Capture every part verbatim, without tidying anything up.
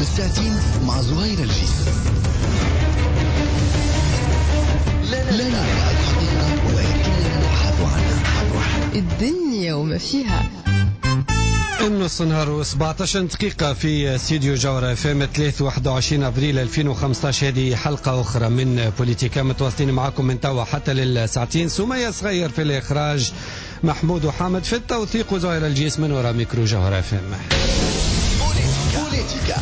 بالساعتين مع زهير الجيس. لا ندعي الحقيقة ولكننا نبحث عنها. الدنيا وما فيها. النص نهار وسبعة عشر دقيقة في استديو جوهرة اف ام، ثلاثة واحد وعشرين ابريل ألفين وخمسة عشر. هذه حلقة أخرى من بوليتيكا، متواصلين معكم من توا حتى للساعتين. سمية صغير في الإخراج، محمود وحامد في التوثيق، وزهير الجيس من وراء ميكرو جوهرة اف ام. بوليتيكا.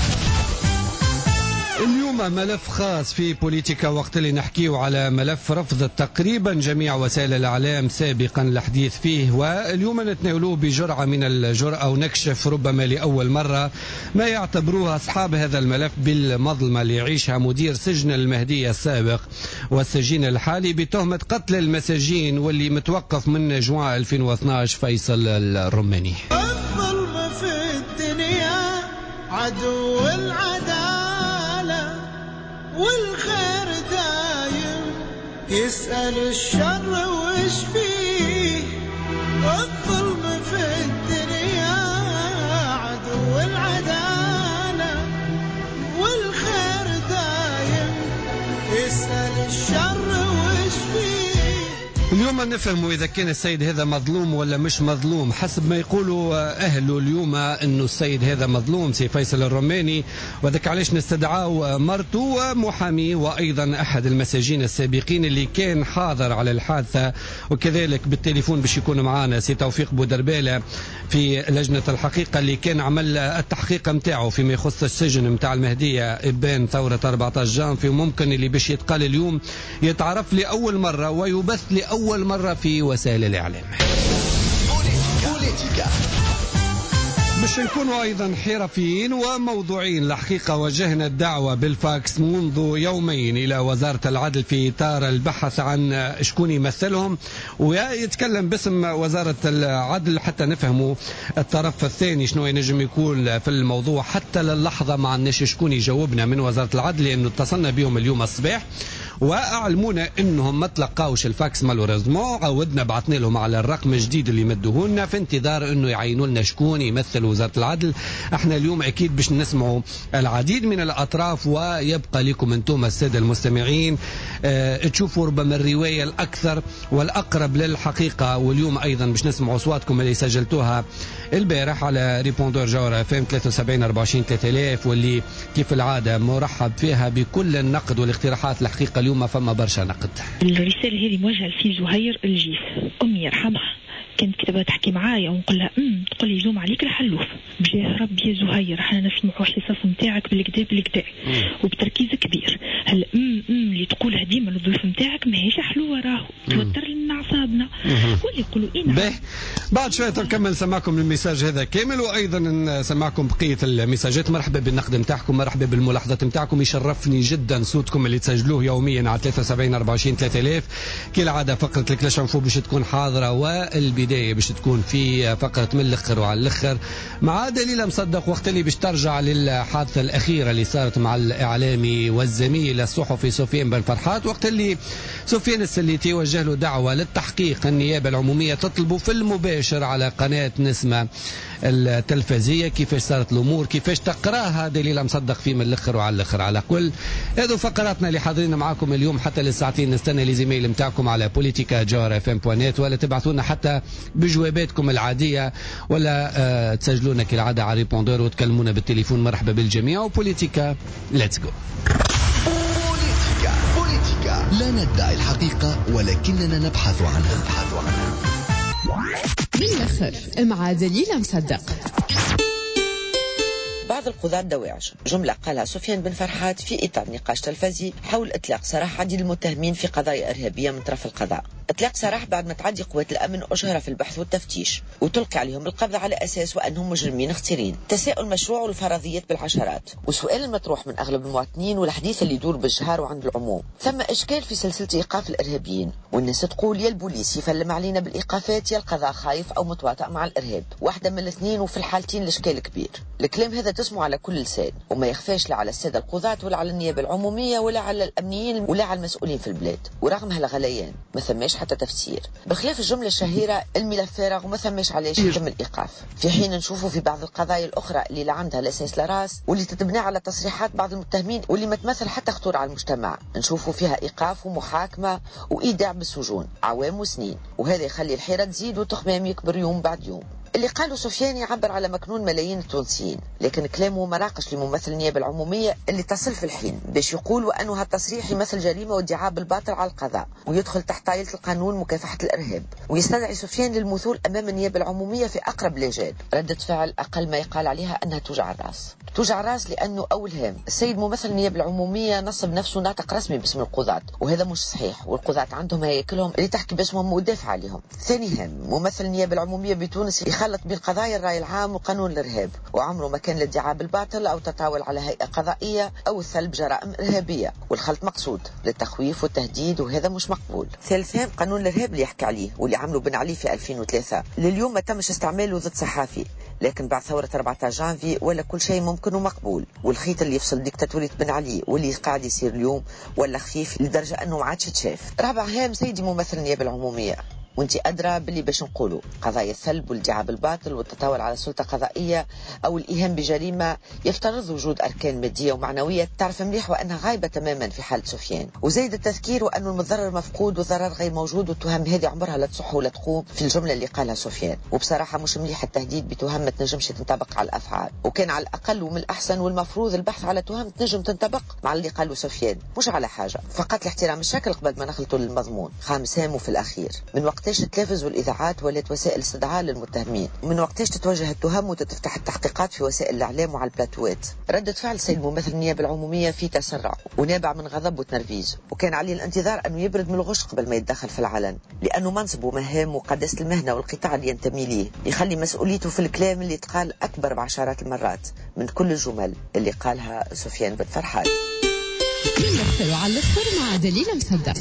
اليوم ملف خاص في بوليتيكا، وقت اللي نحكيو على ملف رفضت تقريبا جميع وسائل الإعلام سابقا الحديث فيه، واليوم نتناولوه بجرعة من الجرأة ونكشف ربما لأول مرة ما يعتبروه أصحاب هذا الملف بالمظلمة اللي يعيشها مدير سجن المهدية السابق والسجين الحالي بتهمة قتل المساجين واللي متوقف من جوان ألفين واثنا عشر، فيصل الرماني. الظلم في الدنيا عدو العدالة، والخير دايم يسأل الشر وش فيه. الظلم في الدنيا عدو العدالة، والخير دايم يسأل الشر وش فيه. اليوم نفهم إذا كان السيد هذا مظلوم ولا مش مظلوم. حسب ما يقولوا أهله اليوم أنه السيد هذا مظلوم، سي فيصل الرماني، وذاك علاش نستدعاو مرته ومحاميه وأيضا أحد المساجين السابقين اللي كان حاضر على الحادثة، وكذلك بالتليفون باش يكون معنا سي توفيق بودربالة في لجنة الحقيقة اللي كان عمل التحقيق متاعه فيما يخص السجن متاع المهدية إبان ثورة أربعة عشر جانفي، وممكن اللي باش يتقال اليوم يتعرف لأول مرة ويبث لأول مرة في وسائل الإعلام. بوليتيكا. باش نكونوا ايضا حرفيين وموضوعيين، الحقيقة وجهنا الدعوة بالفاكس منذ يومين الى وزارة العدل في اطار البحث عن شكون يمثلهم ويتكلم باسم وزارة العدل حتى نفهموا الطرف الثاني شنو ينجم يكون في الموضوع. حتى للحظة ما عندناش شكون يجاوبنا من وزارة العدل، لانه اتصلنا بهم اليوم الصباح واعلمونا انهم ما تلقاوش الفاكس malheureusement. عودنا بعثنا لهم على الرقم الجديد اللي مدوه لنا في انتظار انه يعينوا لنا شكون يمثل وزارة العدل. احنا اليوم اكيد باش نسمعوا العديد من الاطراف، ويبقى لكم انتم السادة المستمعين اه تشوفوا ربما الرواية الاكثر والاقرب للحقيقه. واليوم ايضا باش نسمعوا اصواتكم اللي سجلتوها البارح على répondeur جوهرة اف ام ثلاثة وسبعين أربعة وعشرين ثلاثة آلاف، واللي كيف العادة مرحب فيها بكل النقد والاقتراحات. الحقيقة اليوم فما برشا نقد. الرسالة هذه موجهة لسي زهير الجيس. أمي يرحمها كانت كتبها تحكي معايا ونقول لها امم تقول لي زوم عليك الحلوف. بجاه ربي يا زهير، احنا نسمعوا الحصص نتاعك بالكدا بالكدا وبتركيز كبير. هل امم امم اللي تقولها ديما للضيوف نتاعك ماهيش حلوه، راهو توتر لنا اعصابنا. واللي يقولوا ايه. باهي، بعد شوية نكمل نسمعكم ال message هذا كامل وايضا نسمعكم بقية المساجات. مرحبا بالنقد نتاعكم، مرحبا بالملاحظات نتاعكم. يشرفني جدا صوتكم اللي تسجلوه يوميا على ثلاثة وسبعين أربعة وعشرين ثلاثة آلاف. كالعادة فقره ال flash info باش تكون حاضره، والبداية باش تكون في فقره من الاخر وعلى الاخر مع دليل مصدق، وقت اللي باش ترجع للحادثه الاخيرة اللي صارت مع الاعلامي والزميل الصحفي سفيان بن فرحات، وقت اللي سفيان السليتي وجه له دعوه للتحقيق، النيابة العمومية تطلبه في المباشر على قناة نسمه التلفزيه. كيفاش صارت الامور؟ كيفاش تقراها دليل مصدق في من الاخر وعلى الاخر؟ على كل هذو فقراتنا اللي حاضرين معاكم اليوم حتى للساعتين. نستنى les emails نتاعكم على بوليتيكا جوهرة اف ام point net، ولا تبعثوا لنا حتى بجواباتكم العاديه، ولا آه تسجلونا كالعادة على répondeur وتكلمونا بالتليفون. مرحبا بالجميع، وبوليتيكا let's go. بوليتيكا. بوليتيكا، لا ندعي الحقيقة ولكننا نبحث عنها. نبحث عنها. من الآخر مع دليل مصدق. بعض القضاة دواعش، جملة قالها سفيان بن فرحات في إطار نقاش تلفزي حول إطلاق سراح عديد المتهمين في قضايا إرهابية من طرف القضاء. إطلاق سراح بعد ما تعدي قوات الأمن أشهر في البحث والتفتيش وتلقي عليهم القبض على أساس وأنهم مجرمين خطيرين. تساؤل مشروع والفرضيات بالعشرات، وسؤال المطروح من أغلب المواطنين والحديث اللي يدور بالجهار وعند العموم: ثم إشكال في سلسلة إيقاف الإرهابيين، والناس تقول يا البوليس يفلم علينا بالإيقافات يا القضاء خايف أو متواطئ مع الإرهاب، واحدة من الاثنين، وفي الحالتين الإشكال كبير. الكلام هذا تسمع على كل لسان وما يخفاش لا على السادة القضاة ولا على النيابة العمومية ولا على الأمنيين ولا على المسؤولين في البلاد. ورغم هالغليان ما ثماش حتى تفسير، بخلاف الجملة الشهيرة الملف فارغ وما ثماش علاش يتم الايقاف، في حين نشوفوا في بعض القضايا الاخرى اللي لا عندها لا اساس لا راس واللي تتبنى على تصريحات بعض المتهمين واللي ما تمثل حتى خطورة على المجتمع، نشوفوا فيها ايقاف ومحاكمه وايداع بالسجون عوام وسنين، وهذا يخلي الحيرة تزيد والتخمام يكبر يوم بعد يوم. اللي قاله سفيان يعبر على مكنون ملايين التونسيين، لكن كلامه مراقش لممثل النيابة العمومية اللي تصل في الحين باش يقول وأنه هالتصريح يمثل جريمة وادعاء بالباطل على القضاء ويدخل تحت طائلة القانون مكافحة الإرهاب، ويستدعي سفيان للمثول أمام النيابة العمومية في أقرب الآجال. ردة فعل أقل ما يقال عليها أنها توجع الراس، توجع الراس لأنه أول هام السيد ممثل النيابة العمومية نصب نفسه ناطق رسمي باسم القضاة، وهذا مش صحيح، والقضاة عندهم هياكلهم اللي تحكي باسمهم ودافع عليهم. ثاني هام ممثل النيابة العمومية بتونس يخلط بين قضايا الرأي العام وقانون الإرهاب، وعمره ما كان الادعاء بالباطل أو تطاول على هيئة قضائية أو الثلب جرائم إرهابية، والخلط مقصود للتخويف والتهديد وهذا مش مقبول. ثالث هام قانون الإرهاب اللي يحكي عليه واللي عمله بن علي في ألفين وثلاثة لليوم ما تمش استعماله ضد صحافي، لكن بعد ثورة أربعة عشر جانفي ولا كل شيء ممكن ومقبول، والخيط اللي يفصل ديكتاتورية بن علي واللي قاعد يصير اليوم ولا خفيف لدرجة أنه ما عادش تشاف. رابع هام سيدي ممثل النيابة العمومية، وانت أدرى باللي باش نقولوا قضايا الثلب والادعاء بالباطل والتطاول على سلطة قضائية أو الإيهام بجريمة يفترض وجود أركان مادية ومعنوية تعرف مليح وأنها غايبة تماما في حالة سفيان. وزايد التذكير وأن المتضرر مفقود والضرر غير موجود، والتهم هذه عمرها لا تصح ولا تقوم في الجملة اللي قالها سفيان. وبصراحة مش مليح التهديد بتهم ما تنجمش تنطبق على الأفعال، وكان على الأقل ومن الأحسن والمفروض البحث على تهم تنجم تنطبق مع اللي قاله سفيان، مش على حاجة فقط لاحترام الشكل قبل ما نخلطوا للمضمون. خامس هام وفي الأخير، من وقتاش التلفز والإذاعات ولات وسائل استدعاء للمتهمين؟ من وقتاش تتوجه التهم وتتفتح التحقيقات في وسائل الإعلام وعلى البلاتوات؟ ردة فعل سيد ممثل النيابة العمومية في تسرع ونابع من غضب وتنرفيز، وكان عليه الانتظار أنه يبرد من الغش قبل ما يتدخل في العلن، لأنه منصبه ومهامه وقداسة المهنة والقطاع اللي ينتمي ليه يخلي مسؤوليته في الكلام اللي تقال أكبر بعشرات المرات من كل الجمل اللي قالها سفيان بن فرحات. على الآخر مع دليل مصدق.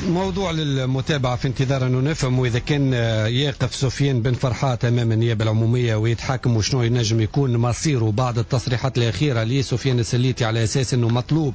موضوع للمتابعة في انتظار أنه نفهم إذا كان يقف سفيان بن فرحات أمام النيابة العمومية ويتحاكم وشنو ينجم يكون مصيره بعد التصريحات الأخيرة لسفيان السليتي على أساس أنه مطلوب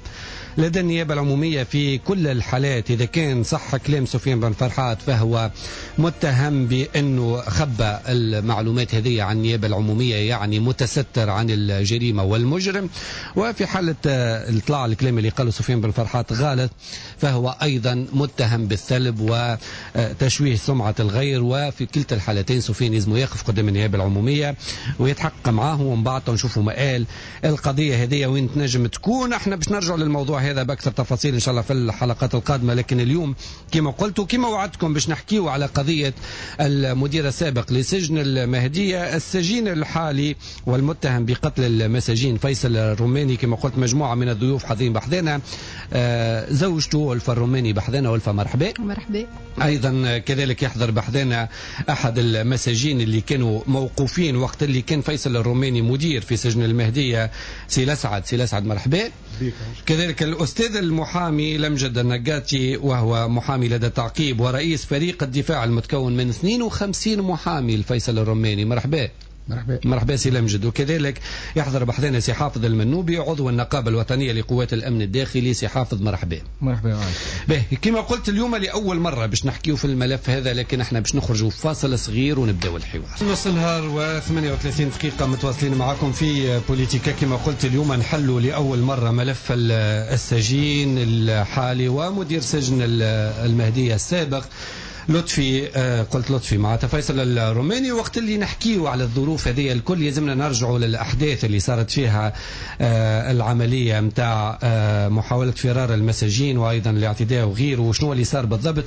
لدى النيابة العمومية في كل الحالات. إذا كان صح كلام سفيان بن فرحات فهو متهم بأنه خبى المعلومات هذه عن النيابة العمومية، يعني متستر عن الجريمة والمجرم. وفي حالة اطلاع الكلام اللي قاله سفيان بن فرحات غلط فهو أيضا متهم بالثلب وتشويه سمعة الغير. وفي كلتا الحالتين سفيان لازم يقف قدام النيابة العمومية ويتحقق معاه، ومن بعد نشوفوا مآل القضية هذه وين تنجم تكون. احنا باش نرجع للموضوع هذا بأكثر تفاصيل إن شاء الله في الحلقات القادمة، لكن اليوم كما قلت وكما وعدتكم باش نحكيو على قضية المدير السابق لسجن المهدية السجين الحالي والمتهم بقتل المساجين فيصل الروماني. كما قلت مجموعة من الضيوف حاضرين بحذانا، آه زوجته ألفة الروماني بحذانا. ألفة مرحبا. مرحبا. أيضا كذلك يحضر بحذانا أحد المساجين اللي كانوا موقوفين وقت اللي كان فيصل الروماني مدير في سجن المهدية، سي لسعد. سي لسعد مرحبا. كذلك الأستاذ المحامي لمجد النقاتي، وهو محامي لدى التعقيب ورئيس فريق الدفاع المتكون من اثنين وخمسين محامي لفيصل الروماني. مرحبا. مرحبا. مرحبا سي لمجد. وكذلك يحضر بحذانا سي حافظ المنوبي عضو النقابة الوطنية لقوات الأمن الداخلي. سي حافظ مرحبا. مرحبا. به كما قلت اليوم لأول مرة باش نحكيو في الملف هذا، لكن احنا باش نخرجوا فاصل صغير ونبداو الحوار. نص النهار وثمانية وثلاثين دقيقة متواصلين معكم في بوليتيكا. كما قلت اليوم نحلوا لأول مرة ملف السجين الحالي ومدير سجن المهدية السابق لطفي، قلت لطفي مع فيصل الروماني. وقت اللي نحكيو على الظروف هذه الكل يلزمنا نرجعوا للأحداث اللي صارت فيها العملية متاع محاولة فرار المساجين وأيضا الاعتداء وغيره، وشنو اللي صار بالضبط.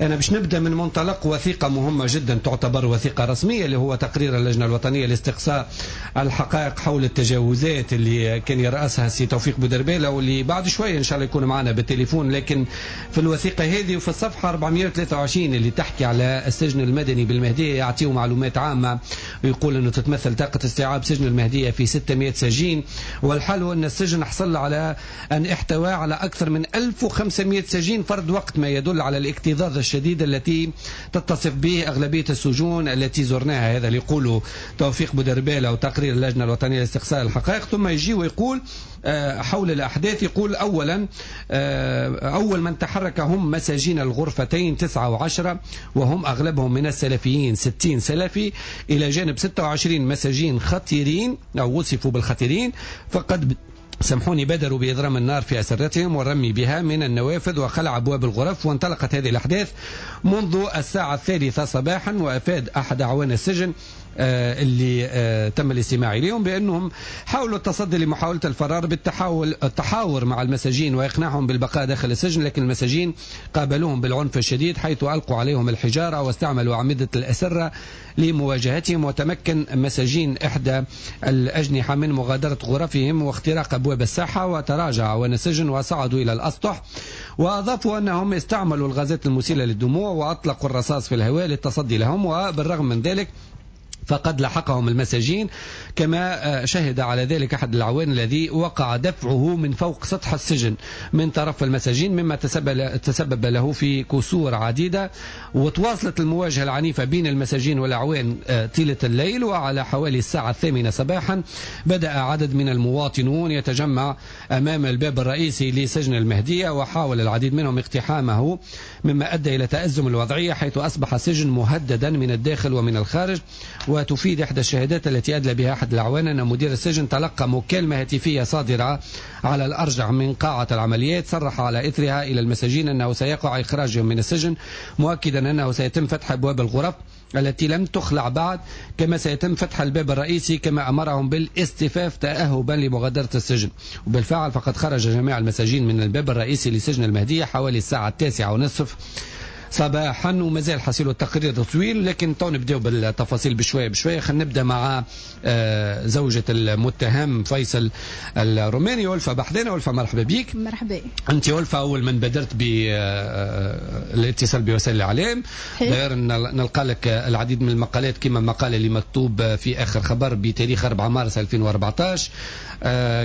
أنا باش نبدأ من منطلق وثيقة مهمة جدا تعتبر وثيقة رسمية، اللي هو تقرير اللجنة الوطنية لاستقصاء الحقائق حول التجاوزات اللي كان يرأسها سي توفيق بودربالة، واللي بعد شوية إن شاء الله يكون معنا بالتليفون. لكن في الوثيقة هذه وفي الصفحة أربعمائة وثلاثة وعشرين اللي تحكي على السجن المدني بالمهدية يعطيه معلومات عامة، ويقول أنه تتمثل طاقة استيعاب سجن المهدية في ستمائة سجين، والحال هو أن السجن حصل على أن احتوى على أكثر من ألف وخمسمائة سجين فرد وقت، ما يدل على الاكتظاظ الشديد التي تتصف به أغلبية السجون التي زرناها. هذا اللي يقوله توفيق بودربالة وتقرير اللجنة الوطنية لاستقصاء الحقائق. ثم يجي ويقول حول الأحداث. يقول أولا أول من تحرك هم مساجين الغرفتين تسعة وعشرة وهم أغلبهم من السلفيين ستين سلفي، إلى جانب ستة وعشرين مساجين خطيرين أو وصفوا بالخطيرين، فقد سامحوني بادروا بإضرام النار في أسرتهم والرمي بها من النوافذ وخلع أبواب الغرف. وانطلقت هذه الأحداث منذ الساعة الثالثة صباحا. وأفاد أحد أعوان السجن اللي تم الاستماع إليهم بأنهم حاولوا التصدي لمحاولة الفرار بالتحاول التحاور مع المساجين وإقناعهم بالبقاء داخل السجن، لكن المساجين قابلوهم بالعنف الشديد حيث ألقوا عليهم الحجارة واستعملوا أعمدة الأسرة لمواجهتهم. وتمكن مساجين إحدى الأجنحة من مغادرة غرفهم واختراق أبواب الساحة، وتراجع أعوان السجن وصعدوا إلى الأسطح. وأضافوا أنهم استعملوا الغازات المسيلة للدموع وأطلقوا الرصاص في الهواء للتصدي لهم، وبالرغم من ذلك فقد لحقهم المساجين، كما شهد على ذلك أحد الأعوان الذي وقع دفعه من فوق سطح السجن من طرف المساجين، مما تسبب له في كسور عديدة. وتواصلت المواجهة العنيفة بين المساجين والأعوان طيلة الليل، وعلى حوالي الساعة الثامنة صباحا بدأ عدد من المواطنون يتجمع أمام الباب الرئيسي لسجن المهدية، وحاول العديد منهم اقتحامه، مما أدى إلى تأزم الوضعية حيث أصبح السجن مهددا من الداخل ومن الخارج. وتفيد إحدى الشهادات التي أدلى بها أحد الأعوان أن مدير السجن تلقى مكالمة هاتفية صادرة على الأرجح من قاعة العمليات صرح على إثرها إلى المساجين أنه سيقع إخراجهم من السجن، مؤكدا أنه سيتم فتح أبواب الغرف التي لم تخلع بعد، كما سيتم فتح الباب الرئيسي كما أمرهم بالاصطفاف تأهبا لمغادرة السجن. وبالفعل فقد خرج جميع المساجين من الباب الرئيسي لسجن المهدية حوالي الساعة التاسعة ونصف صباحا. ومازال حصيل التقرير طويل، لكن تو نبداو بالتفاصيل بشوية بشوية. خلينا نبدا مع زوجة المتهم فيصل الروماني ألفة بحذنا. ألفة مرحبا بيك. مرحبا. انت ألفة اول من بادرت بالاتصال بوسائل الاعلام، غير نلقى لك العديد من المقالات كما المقالة اللي مكتوب في اخر خبر بتاريخ أربعة مارس ألفين وأربعة عشر.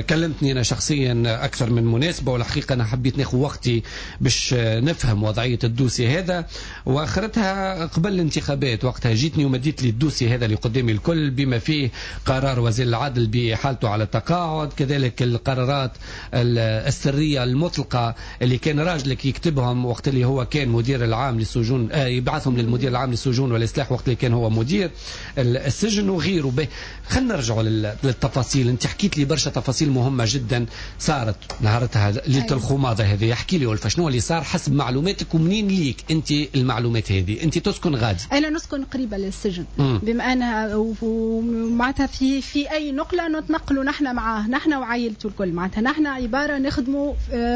كلمتني انا شخصيا اكثر من مناسبة، والحقيقة انا حبيت ناخذ وقتي باش نفهم وضعية ال dossier هذا، واخرتها قبل الانتخابات وقتها جيتني ومديت لي ال dossier هذا اللي قدامي الكل بما فيه قرار وزير العدل بحالته على التقاعد، كذلك القرارات السرية المطلقة اللي كان راجلك يكتبهم وقت اللي هو كان مدير العام للسجون، آه يبعثهم للمدير العام للسجون والإصلاح وقت اللي كان هو مدير السجن وغيره. به خلينا نرجعوا للتفاصيل. انت حكيت لي برشا تفاصيل مهمة جدا صارت نهارتها ليلة الخماضة هذه. احكي لي ألفة شنو اللي صار حسب معلوماتك ومنين ليك انت المعلومات هذه؟ انت تسكن غادي؟ انا نسكن قريبه للسجن. مم. بما انها ومعناتها في في اي نقله نتنقلوا نحن معاه، نحن وعائلته الكل، معناتها نحن عبارة نخدموا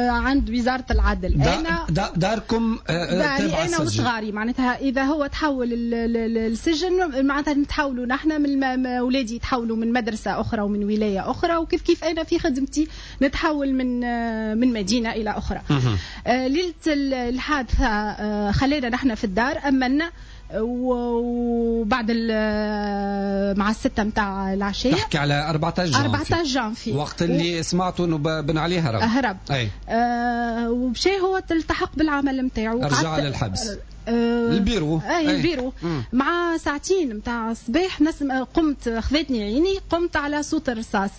عند وزارة العدل. دا انا دا داركم داري انا وصغاري، معناتها اذا هو تحول السجن معناتها نتحولوا نحن من اولادي يتحولوا من مدرسه اخرى ومن ولاية اخرى، وكيف كيف انا في خدمتي نتحول من من مدينة الى اخرى. ليلة الحادثة خلينا نحن في الدار أمنا، وبعد مع الستة متاع العشية. تحكي على أربعة عشر جانفي. أربعة عشر جانفي وقت اللي و... سمعتوا انه بن علي هرب. هرب. أي. آه ومشى هو التحق بالعمل متاعو، رجع للحبس. آه البيرو. اي البيرو. مم. مع ساعتين متاع الصباح نسم قمت خذتني عيني، قمت على صوت الرصاص.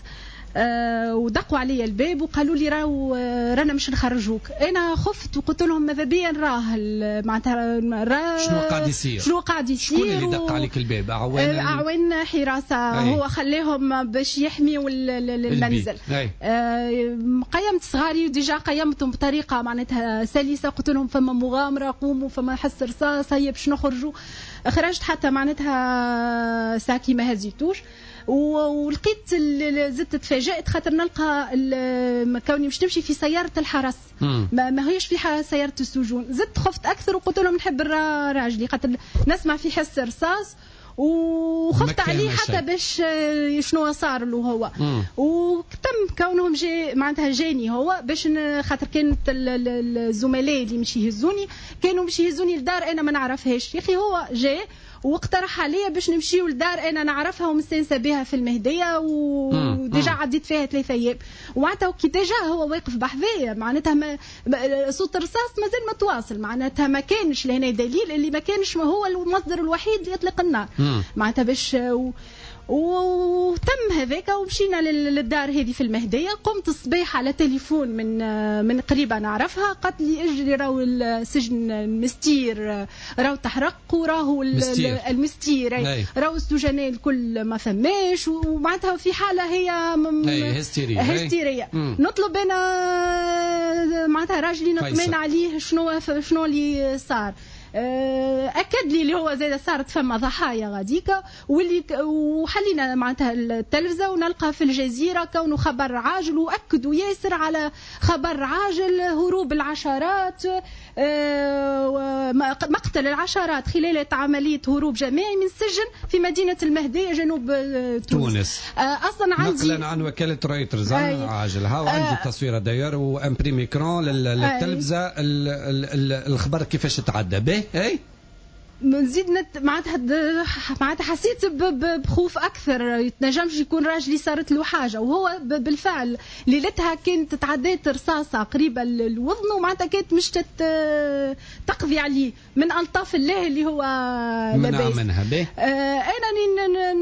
أه ودقوا علي الباب وقالوا لي راهو رانا مش نخرجوك. انا خفت وقلت لهم ماذا بيا نراه معناتها راه شنو قاعد يصير، شنو قاعد يصير. شكون اللي دق عليك الباب؟ اعوان اعوان حراسة. أي. هو خلاهم باش يحميوا المنزل. أه قيمت صغاري déjà قيمتهم بطريقة معناتها سلسه، قلت لهم فما مغامرة قوموا، فما حس رصاص، هيا باش نخرجوا. خرجت حتى معناتها ساكي ما هزيتوش، ولقيت زدت تفاجأت خاطر نلقى كوني مش نمشي في سيارة الحرس، ما, ما هيش في سيارة السجون. زدت خفت أكثر وقلت لهم نحب راجلي خاطر نسمع في حس رصاص، وخفت عليه حتى باش شنو صار له هو. وتم كونهم جاي معناتها جاني هو باش خاطر كانت الزملاء اللي مش يهزوني كانوا مش يهزوني لدار انا ما نعرفهاش. يا اخي هو جاي واقترح عليا باش نمشيو لدار انا نعرفها ومستانسه بها في المهدية، و déjà عديت فيها ثلاثة ايام. ومعناتها كي déjà هو واقف بحذايا معناتها ما صوت الرصاص مازال متواصل، معناتها ما كانش لهنا دليل اللي ما كانش ما هو المصدر الوحيد اللي يطلق النار معناتها باش و... وتم هذاك ومشينا للدار هذه في المهدية. قمت الصباح على تليفون من من قريبه نعرفها، قالت لي اجري راهو السجن المستير راهو تحرق، وراهو المستير راهو السجناء الكل ما فماش، ومعناتها في حاله هي هستيريه هستيريه. نطلب انا معناتها راجلي نطمن عليه شنو شنو اللي صار. اكد لي اللي هو زاد صارت فما ضحايا غاديكا، واللي وحلينا معناتها التلفزة ونلقى في الجزيرة كونه خبر عاجل، واكدوا ياسر على خبر عاجل هروب العشرات، مقتل العشرات خلال عملية هروب جماعي من سجن في مدينة المهدية جنوب تونس. تونس. اصلا عندي نقلا عن وكالة رويترز عاجل، ها وعندي تصويره d'ailleurs و imprimé écran للتلفزه الخبر كيفاش تعدى به. اي نزيد نت... معناتها معناتها حسيت بخوف اكثر، يتنجمش يكون راجلي صارت له حاجة، وهو بالفعل ليلتها كانت تعدات رصاصة قريبه للوذن، ومعناتها كانت مش تت... تقضي عليه من الطاف الله اللي هو لاباس منها به. آه انا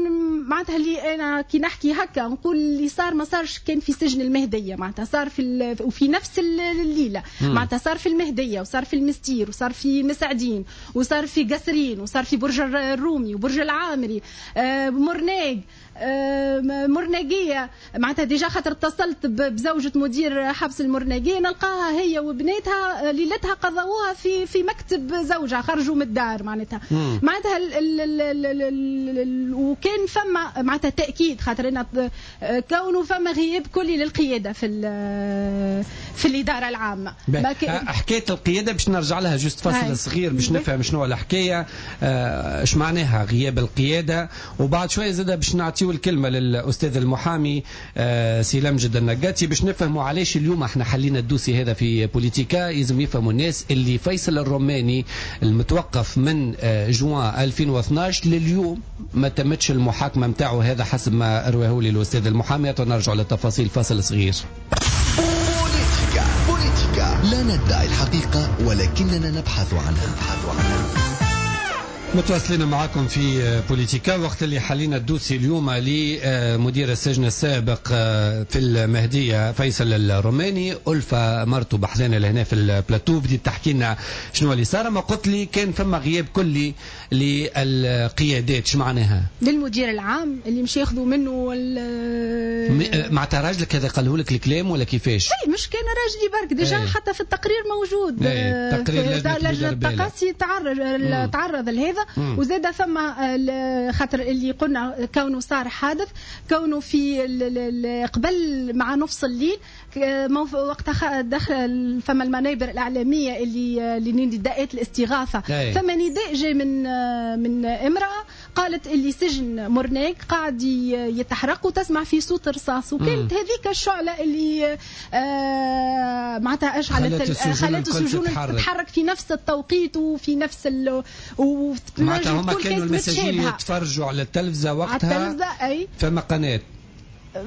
معناتها اللي انا كي نحكي هكا نقول اللي صار ما صارش كان في سجن المهدية، معناتها صار في ال... وفي نفس الليلة، معناتها صار في المهدية وصار في المستير وصار في مسعدين وصار في قصر، وصار في برج الرومي وبرج العامري، آه مرناق، آه مرناقيه. معناتها déjà خاطر اتصلت بزوجة مدير حبس المرناقيه، نلقاها هي وبناتها ليلتها قضوها في في مكتب زوجها، خرجوا من الدار معناتها. معناتها ال ال ال ال ال وكان فما معناتها تاكيد خاطر انا كونه فما غياب كلي للقياده في في الادارة العامة. حكاية القيادة باش نرجع لها juste فصل صغير باش نفهم شنو الحكاية، اش معناها غياب القيادة، وبعد شوية زاد باش نعطيو الكلمة للاستاذ المحامي سي لمجد النقاتي باش نفهموا علاش اليوم احنا حلينا ال dossier هذا في بوليتيكا. لازم يفهموا الناس اللي فيصل الروماني المتوقف من جوان ألفين واثناش لليوم ما تمتش المحاكمة نتاعو، هذا حسب ما رواه لي الاستاذ المحامي. نرجع للتفاصيل فاصل صغير. بوليتيكا بوليتيكا لا ندعي الحقيقة ولكننا نبحث عنها. متواصلين معكم في بوليتيكا. وقت اللي حلينا ال dossier اليوم لمدير السجن السابق في المهدية فيصل الروماني، ألفة مرته بحثنا لهنا في البلاتو بديت تحكي لنا شنو اللي صار. ما قلت لي كان فما غياب كلي للقيادات، شو معناها؟ للمدير العام اللي مش ياخذوا منه معناتها راجلك هذا قاله لك الكلام ولا كيفاش؟ اي مش كان راجلي برك، déjà حتى في التقرير موجود. اي تقرير لجنة التقاصي تعرض تعرض لهذا، وزاد فما خاطر اللي قلنا كونه صار حادث، كونه في قبل مع نص الليل وقتها دخل فما المنابر الاعلامية اللي لنداءات الاستغاثة، فما نداء جاي من من امراة قالت اللي سجن مرناق قاعد يتحرق وتسمع في صوت رصاص، وكانت هذيك الشعلة اللي آه معناتها اشعلت خلت السجون تتحرك في نفس التوقيت وفي نفس ال معناتها هما كانوا المساجين يتفرجوا على التلفزة وقتها، على التلفزة اي فما قناة،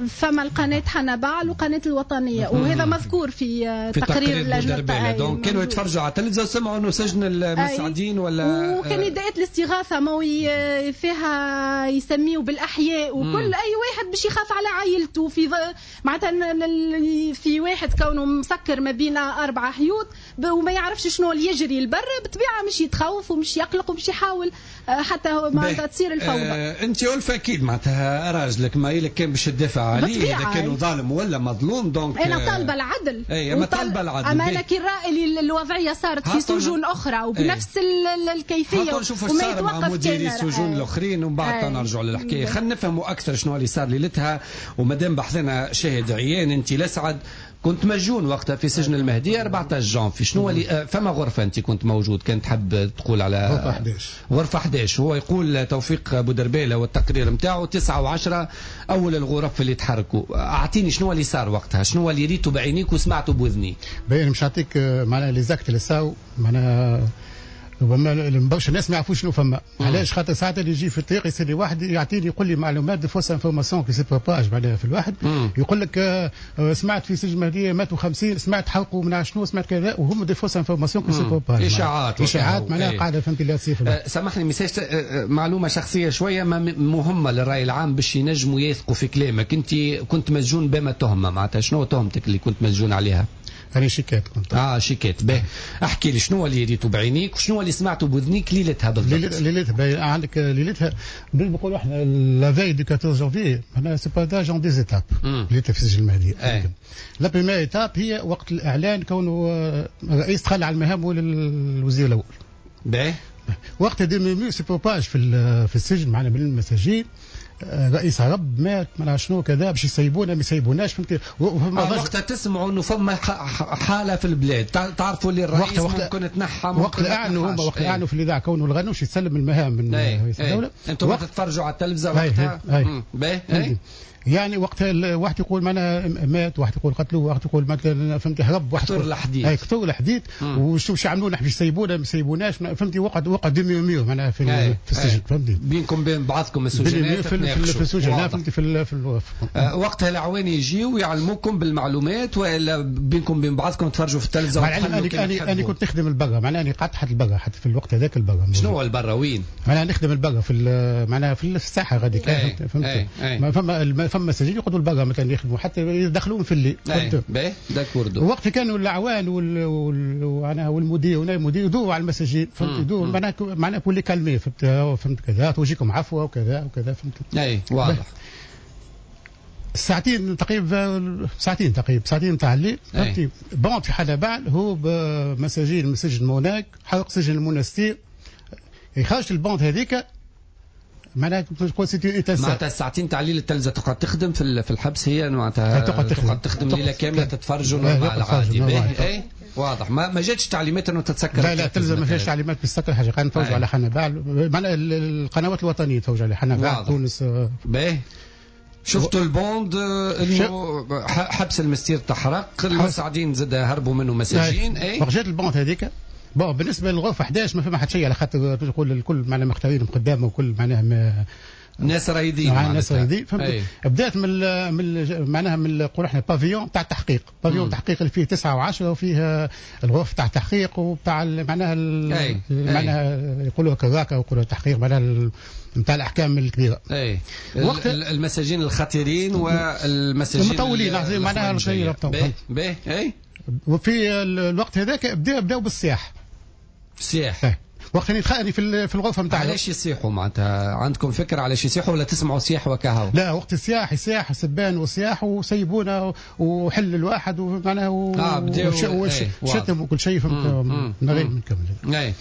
فما القناة حنبعل وقناة الوطنية، وهذا مذكور في, في تقرير لجنة. donc كانوا يتفرجوا على التلفزة وسمعوا انه سجن المسعدين ولا، وكان نداءات الاستغاثة ما فيها يسميوا بالأحياء وكل أي واحد باش يخاف على عائلته في معناتها في واحد كونه مسكر ما بين أربع حيوط وما يعرفش شنو اللي يجري البر، بالطبيعة مش يتخوف ومش يقلق ومش يحاول حتى معناتها تصير الفوضى. آه أنت ألفة أكيد معناتها راجلك ما إلك كان باش تدافع عليه اذا كانوا ظالم ولا مظلوم، donc انا طالبه العدل. اي اما طالبه العدل، اما انا كي نرى الوضعية صارت في سجون اخرى وبنفس اي. الكيفية، وما يتوقف مع مديري السجون الاخرين، ومن بعد نرجعوا للحكايه. خلينا نفهموا اكثر شنو اللي صار ليلتها. ومادام بحثنا شاهد عيان، انت لسعد كنت مسجون وقتها في سجن المهدية أربعة عشر جانفي، شنو اللي فما غرفة أنت كنت موجود كنت تحب تقول على غرفة أحد عشر؟ غرفة أحد عشر. هو يقول توفيق بودربالة والتقرير نتاعو تسعة وعشرة أول الغرف اللي تحركوا. أعطيني شنو اللي صار وقتها، شنو اللي ريته بعينيك وسمعته بوذنيك؟ باين مش نعطيك معناها les actes اللي صاروا معناها ربما برشا الناس ما يعرفوش شنو فما. علاش؟ خاطر ساعات اللي يجي في الطريق يصير لي واحد يعطيني يقول لي معلومات des fausses informations qui se propagent معناها في الواحد. مم. يقول لك آه سمعت في سجن المهدية ماتوا خمسين، سمعت حرقوا من شنو، سمعت كذا، وهم des fausses informations qui se propagent، اشاعات اشاعات معناها قاعدة فهمتي لا تصير. أه سامحني ميساج، معلومة شخصية شوية ما مهمة للراي العام باش ينجموا يثقوا في كلامك. انت كنت مسجون بما تهمه، معناتها شنو تهمتك اللي كنت مسجون عليها؟ أنا شيكات كنت. اه شيكات. باهي احكي لي شنو اللي ريته بعينيك وشنو اللي سمعته بودنيك ليلتها بالضبط؟ ليلتها عندك ليلتها نقولوا احنا la veille du أربعطاش جانفي معناها se partage en deux étapes ليلتها في سجن المهدية. la première étape هي وقت الاعلان كونه الرئيس تخلى على المهام للوزير الاول. باهي وقت des murmures se propagent في في السجن معنا من المساجين، رئيس هرب مات ما شنو كذا باش يسيبونا ما يسيبوناش فهمتي. وقتها تسمعوا انه فما حاله في البلاد، تعرفوا اللي الرئيس وقت ممكن تنحى، وقت اعلنوا هما وقت اعلنوا في الاذاعة كونه الغنوش يسلم المهام من رئيس الدولة. انتم تتفرجوا على التلفزة وقتها؟ باهي. يعني وقتها واحد يقول معناها مات، واحد يقول قتلوه، واحد يقول مثلا فهمتي هرب، واحد كثر الحديث. اي كثر الحديث وشو باش يعملوا نحن باش يسيبونا ما يسيبوناش فهمتي. وقع وقع des murmures معناها في, في السجن فهمتي، بينكم بين بعضكم السجنات في, في, في السجن فهمتي في, في آه وقتها العواني يجيو يعلموكم بالمعلومات والا بينكم بين بعضكم تفرجوا في التلفزة؟ انا انا انا كنت نخدم البرا معناها انا قعدت حتى البرا حتى في الوقت هذاك البرا. شنو هو البرا وين؟ معناها نخدم البرا في معناها في الساحة غادي فهمت. فما فما مساجين يقعدوا البرا مثلا يخدموا حتى يدخلوهم في الليل. باهي d'accord. وقت كانوا الاعوان وال وال والمدير ونائب المدير يدوروا على المساجين فهمت، يدوروا معناها معناها pour les calmer فهمت فهمت كذا توجيكم عفوه وكذا وكذا فهمت. اي واضح. ساعتين تقريبا ساعتين تقريبا ساعتين تاع الليل فهمتي. bande في حنبعل هو بمساجين من سجن موناك حرق سجن المونستير، خرجت ال bande هذيك معناها تقول c'était une معناتها الساعتين تاع الليل التلفزة تقعد تخدم في في الحبس هي معناتها تقعد تخدم تقعد تخدم ليلة كاملة تتفرجوا normal عادي. اي واضح. ما ما جاتش تعليمات انه تتسكر؟ لا لا التلفزة ما فيهاش تعليمات تسكر حاجة، قاعد نتفرجوا على حنبعل معناها القنوات الوطنية تفرجوا على حنبعل تونس. باهي شفتوا ال bande انه حبس المستير تحرق، المساعدين زاد هربوا منه مساجين. اي جات ال bande هذيك. bon بالنسبة للغرفة إحداش ما فما حتى شيء على خاطر تقول الكل معناها مختارين قدامه وكل معناها ما ناس رايدين ناس رايدين فهمت. بدات من من معناها من نقول احنا pavillon تاع التحقيق، pavillon التحقيق اللي فيه تسعة وعشرة وفيه الغرف تاع التحقيق وبتاع معناها معناها يقولوا كذاك ويقولوا التحقيق معناها نتاع الاحكام الكبيرة. اي وقت المساجين الخطيرين والمساجين المطولين معناها الخير. باهي اي وفي الوقت هذاك بداو بداو بالصياح. صياح وقت اللي في في الغرفة نتاع. علاش يصيحوا معناتها؟ عندكم فكرة علاش يصيحوا ولا تسمعوا صياح وكهو؟ لا وقت الصياح يصيح سبان وصياح وسيبونا وحل الواحد ومعناها و... اه بداو شتم وكل شيء فهمت من غير ما نكمل. اي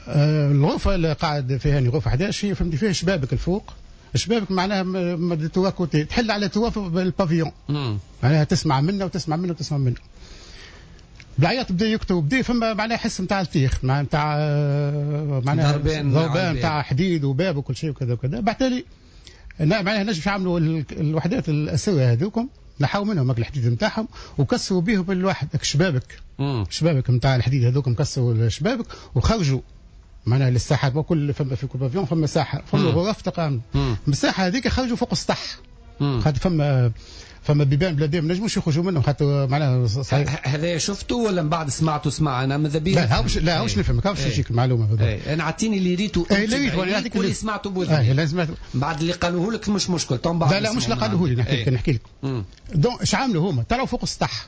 آه الغرفة اللي قاعد فيها يعني غرفة إحداش فهمتي فيها شبابك الفوق، شبابك معناها trois côtés تحل على trois ال pavillon معناها تسمع منا وتسمع منا وتسمع منا. بالعياط بدا يكتب بدا فما معناها حس نتاع التيخ نتاع معناها ضربان ضربان نتاع حديد وباب وكل شيء وكذا وكذا. بعد تالي معناها نجم يعملوا الوحدات الاسرية هذوكم نحاو منهم الحديد نتاعهم وكسروا بهم الواحد شبابك شبابك نتاع الحديد هذوكم كسروا الشبابك وخرجوا معناها للساحات. وكل فما في كل pavillon فما ساحة فما غرف تقام المساحة هذيك خرجوا فوق السطح خاطر فما فما بيبان بلادين ما نجموش يخرجوا منهم خاطر معناها صحيح. هذا شفته ولا من بعد سمعته؟ سمع انا ماذا بيا. لا هاوش لا هاوش نفهمك هاوش نجيك المعلومة بالضبط. انا عطيني اللي ريته اي اللي ريته نعطيك اللي سمعته بوذني. لا سمعته بعد اللي قالوه لك مش مشكل. بعد لا لا مش اللي قالوه لي نحكي لك نحكي لك. donc اش عملوا هما؟ طلعوا فوق السطح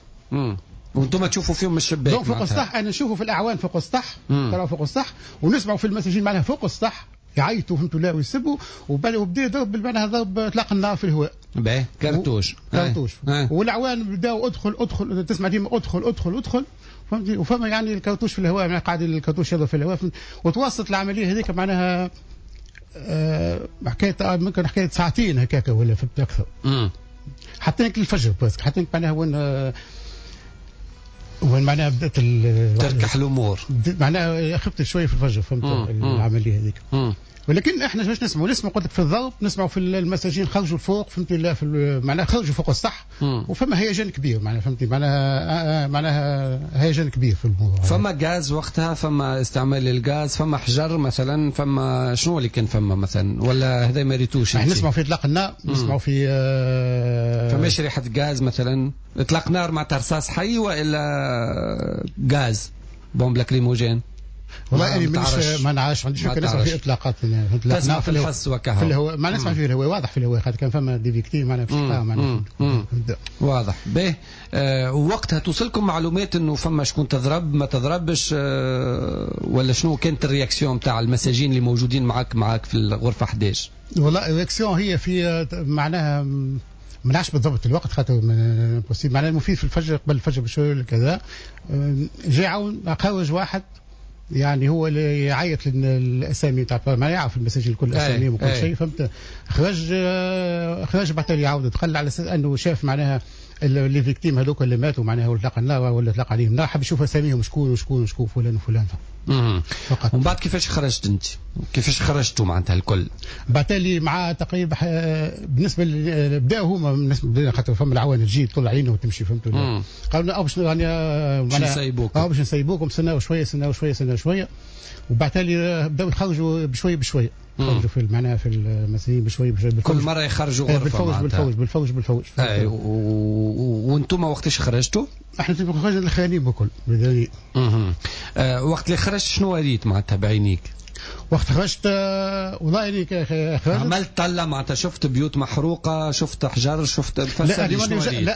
وانتم تشوفوا فيهم من الشباك. donc فوق السطح انا نشوفوا في الاعوان فوق السطح طلعوا فوق السطح ونسمعوا في المساجين معناها فوق السطح يعيطوا فهمتوا لا ويسبوا وبدا يضرب معناها ضرب اطلاق النار في الهواء. باهي كرتوش كرتوش والاعوان بداوا ادخل ادخل تسمع ديما ادخل ادخل ادخل فهمتي. وفما يعني الكرتوش في الهواء معناها قاعد الكرتوش يضرب في الهواء وتوصلت العملية هذيك معناها أه حكاية ممكن حكاية ساعتين هكاك ولا فهمت اكثر حتى الفجر بس حتى معناها وين وين معناها بدات تركح الامور معناها خفت شوية في الفجر فهمت العملية هذيك. ولكن احنا باش نسمعوا نسمعوا قلت لك في الضرب، نسمعوا في المساجين خرجوا الفوق، فهمتي، في معناها خرجوا فوق السطح، وفما هيجان كبير معناها، فهمتي، معناها معناها هيجان كبير في الموضوع. فما غاز وقتها، فما استعمال الغاز، فما حجر مثلا، فما شنو اللي كان فما مثلا، ولا هذا ما ريتوش؟ احنا نسمعوا في اطلاق النار، نسمعوا في آه فماش ريحه غاز مثلا، اطلاق نار مع رصاص حي والا غاز bombe lacrymogène؟ والله يعني مش ما نعرفش، ما عنديش فكرة. نسمع في اطلاقات، تسمع في الحس وكهو في الهواء، ما نسمع في الهواء، واضح في الهواء، خاطر كان فما des victimes معناها في معناها واضح. به آه وقتها توصلكم معلومات انه فما شكون تضرب ما تضربش آه ولا شنو كانت ال réaction تاع المساجين اللي موجودين معاك معاك في الغرفة أحد عشر؟ والله ال réaction هي في معناها ما نعرفش بالضبط الوقت، خاطر معناها المفيد في الفجر، قبل الفجر بشوية كذا، جاء عاون خرج واحد يعني هو اللي يعيط للاسامي تاع، ما يعرف المساجين الكل اساميهم وكل شيء، فهمت. خرج خرج بعد يعاود دخل على اساس انه شاف معناها les victimes هذوك اللي ماتوا معناها ولا طلق النار ولا طلق عليهم النار، حب يشوف اساميهم شكون وشكون وشكون فلان وفلان فقط. ومن بعد كيفاش خرجت انت؟ كيفاش خرجتوا معناتها الكل؟ بعد تالي مع تقريبا بالنسبة بداوا هما بالنسبة خاطر فما العوان تجي تطلع علينا وتمشي، فهمتوا. قالوا لنا باش يعني باش نسيبوكم، اه باش نسيبوكم، سناو شوية سناو شوية سناو شوية، وبعد تالي بداوا يخرجوا بشوية بشوية، خرجوا في معناها في المساجين بشوية بشوية، كل مرة يخرجوا غرفة بالفوج بالفوج بالفوج بالفوج. اي وانتم وقتاش خرجتوا؟ احنا خرجنا الاخرانيين بكل. اها أه وقت اللي خرجت شنو ريت معناتها بعينيك؟ وقت خرجت والله يعني خرجت عملت طلة معناتها، شفت بيوت محروقة، شفت حجر، شفت لا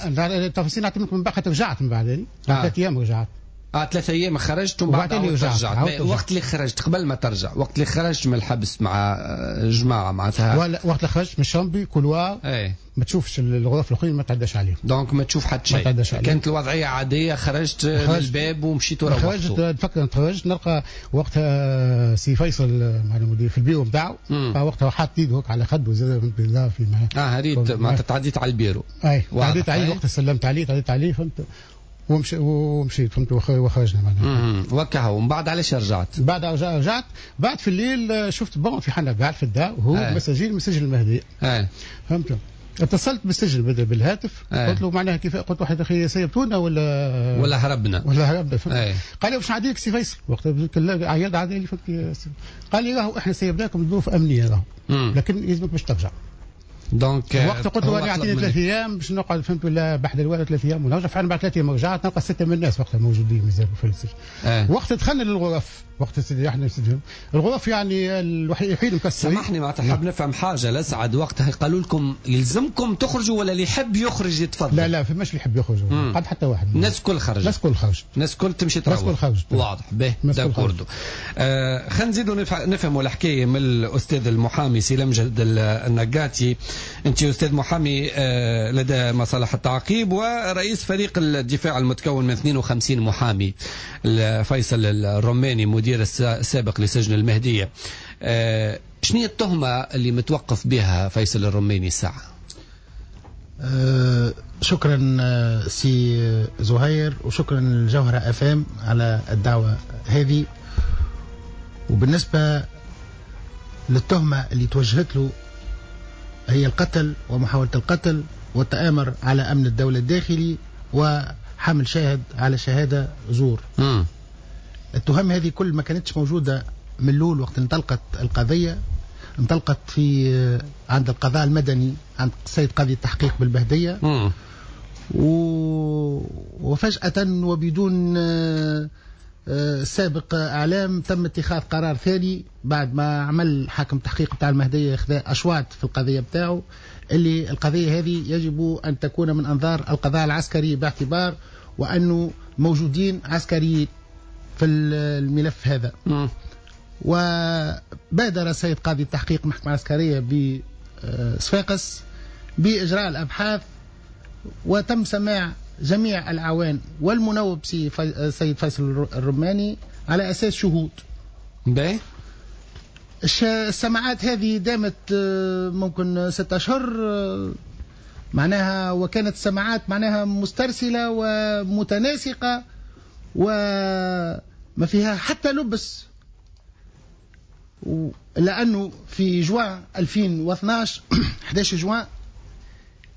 لا التفاصيل نعطيك من بعد، خاطر رجعت من بعد يعني ثلاث ايام رجعت. اه ثلاث ايام خرجت ومن بعد رجعت. وقت اللي خرجت قبل ما ترجع، وقت اللي خرجت من الحبس مع جماعة معناتها، ولا وقت اللي خرجت من ال chambre couloir ايه ما تشوفش الغرف الاخرين، ما تعداش عليهم، donc ما تشوف حتى شيء. كانت الوضعية عادية، خرجت من الباب ومشيت وروحت. خرجت نفكر خرجت نلقى وقتها سي فيصل مع المدير في البيرو نتاعو، وقتها حاط ايده على خده زاد في اه ريت معناتها تعديت على البيرو. اي تعديت عليه وقتها، سلمت عليه تعديت عليه، فهمت، ومشي ومشيت فهمت، وخرجنا معناها. وكهو. ومن بعد علاش رجعت؟ بعد رجعت بعد في الليل شفت bon في حنا قاعد في الدار وهو مساجين مساجين المهدية. فهمت. اتصلت بالسجن بالهاتف، قلت له معناها كيف، قلت له واحد اخي سيبتونا ولا ولا هربنا ولا هربنا. قال لي باش نعدي لك سي فيصل، وقت عياد عادي لي، قال لي راهو احنا سيبناكم ظروف امنية راهو، لكن يلزمك باش ترجع. donc وقت قلت له انا اعطيني ثلاث ايام باش نقعد، فهمت، ولا بحد الوالد ثلاث ايام ونرجع. فعلا بعد ثلاث ايام رجعت نلقى ستة من الناس وقتها موجودين مازالوا في السجن. آه. وقت دخلنا للغرف، وقت احنا الغرف يعني الوحيد مكسرين. سامحني معناتها حاب نفهم حاجة لسعد، وقتها قالوا لكم يلزمكم تخرجوا ولا اللي يحب يخرج يتفضل؟ لا لا فماش اللي يحب يخرج، قعد حتى واحد. الناس الكل خرجت، الناس الكل خرجت، الناس الكل تمشي تروح، الناس الكل خرجت. واضح به d'accord. آه خلينا نزيدوا نفهموا الحكاية من الاستاذ المحامي سي لمجد النقاتي. انت استاذ محامي لدى مصالح التعقيب ورئيس فريق الدفاع المتكون من اثنين وخمسين محامي، فيصل الرماني مدير السابق لسجن المهدية. شنو هي التهمة اللي متوقف بها فيصل الرماني الساعة؟ أه شكرا سي زهير، وشكرا للجوهرة اف ام على الدعوة هذه. وبالنسبة للتهمة اللي توجهت له هي القتل ومحاولة القتل والتآمر على أمن الدولة الداخلي وحمل شاهد على شهادة زور. مم. التهم هذه كل ما كانتش موجودة من الأول وقت انطلقت القضية، انطلقت في عند القضاء المدني عند السيد قاضي التحقيق بالبهدية. مم. و... وفجأة وبدون سابق اعلام تم اتخاذ قرار ثاني بعد ما عمل حاكم التحقيق بتاع المهدية خذا اشواط في القضية بتاعه، اللي القضية هذه يجب ان تكون من انظار القضاء العسكري باعتبار وانه موجودين عسكريين في الملف هذا. م. وبادر السيد قاضي التحقيق المحكمة العسكرية بصفاقس باجراء الابحاث، وتم سماع جميع الأعوان والمنوب سيد فيصل الرماني على أساس شهود. باهي. السماعات هذه دامت ممكن ستة أشهر معناها، وكانت السماعات معناها مسترسلة ومتناسقة وما فيها حتى لبس. لأنه في جوان ألفين واثناش أحد عشر جوان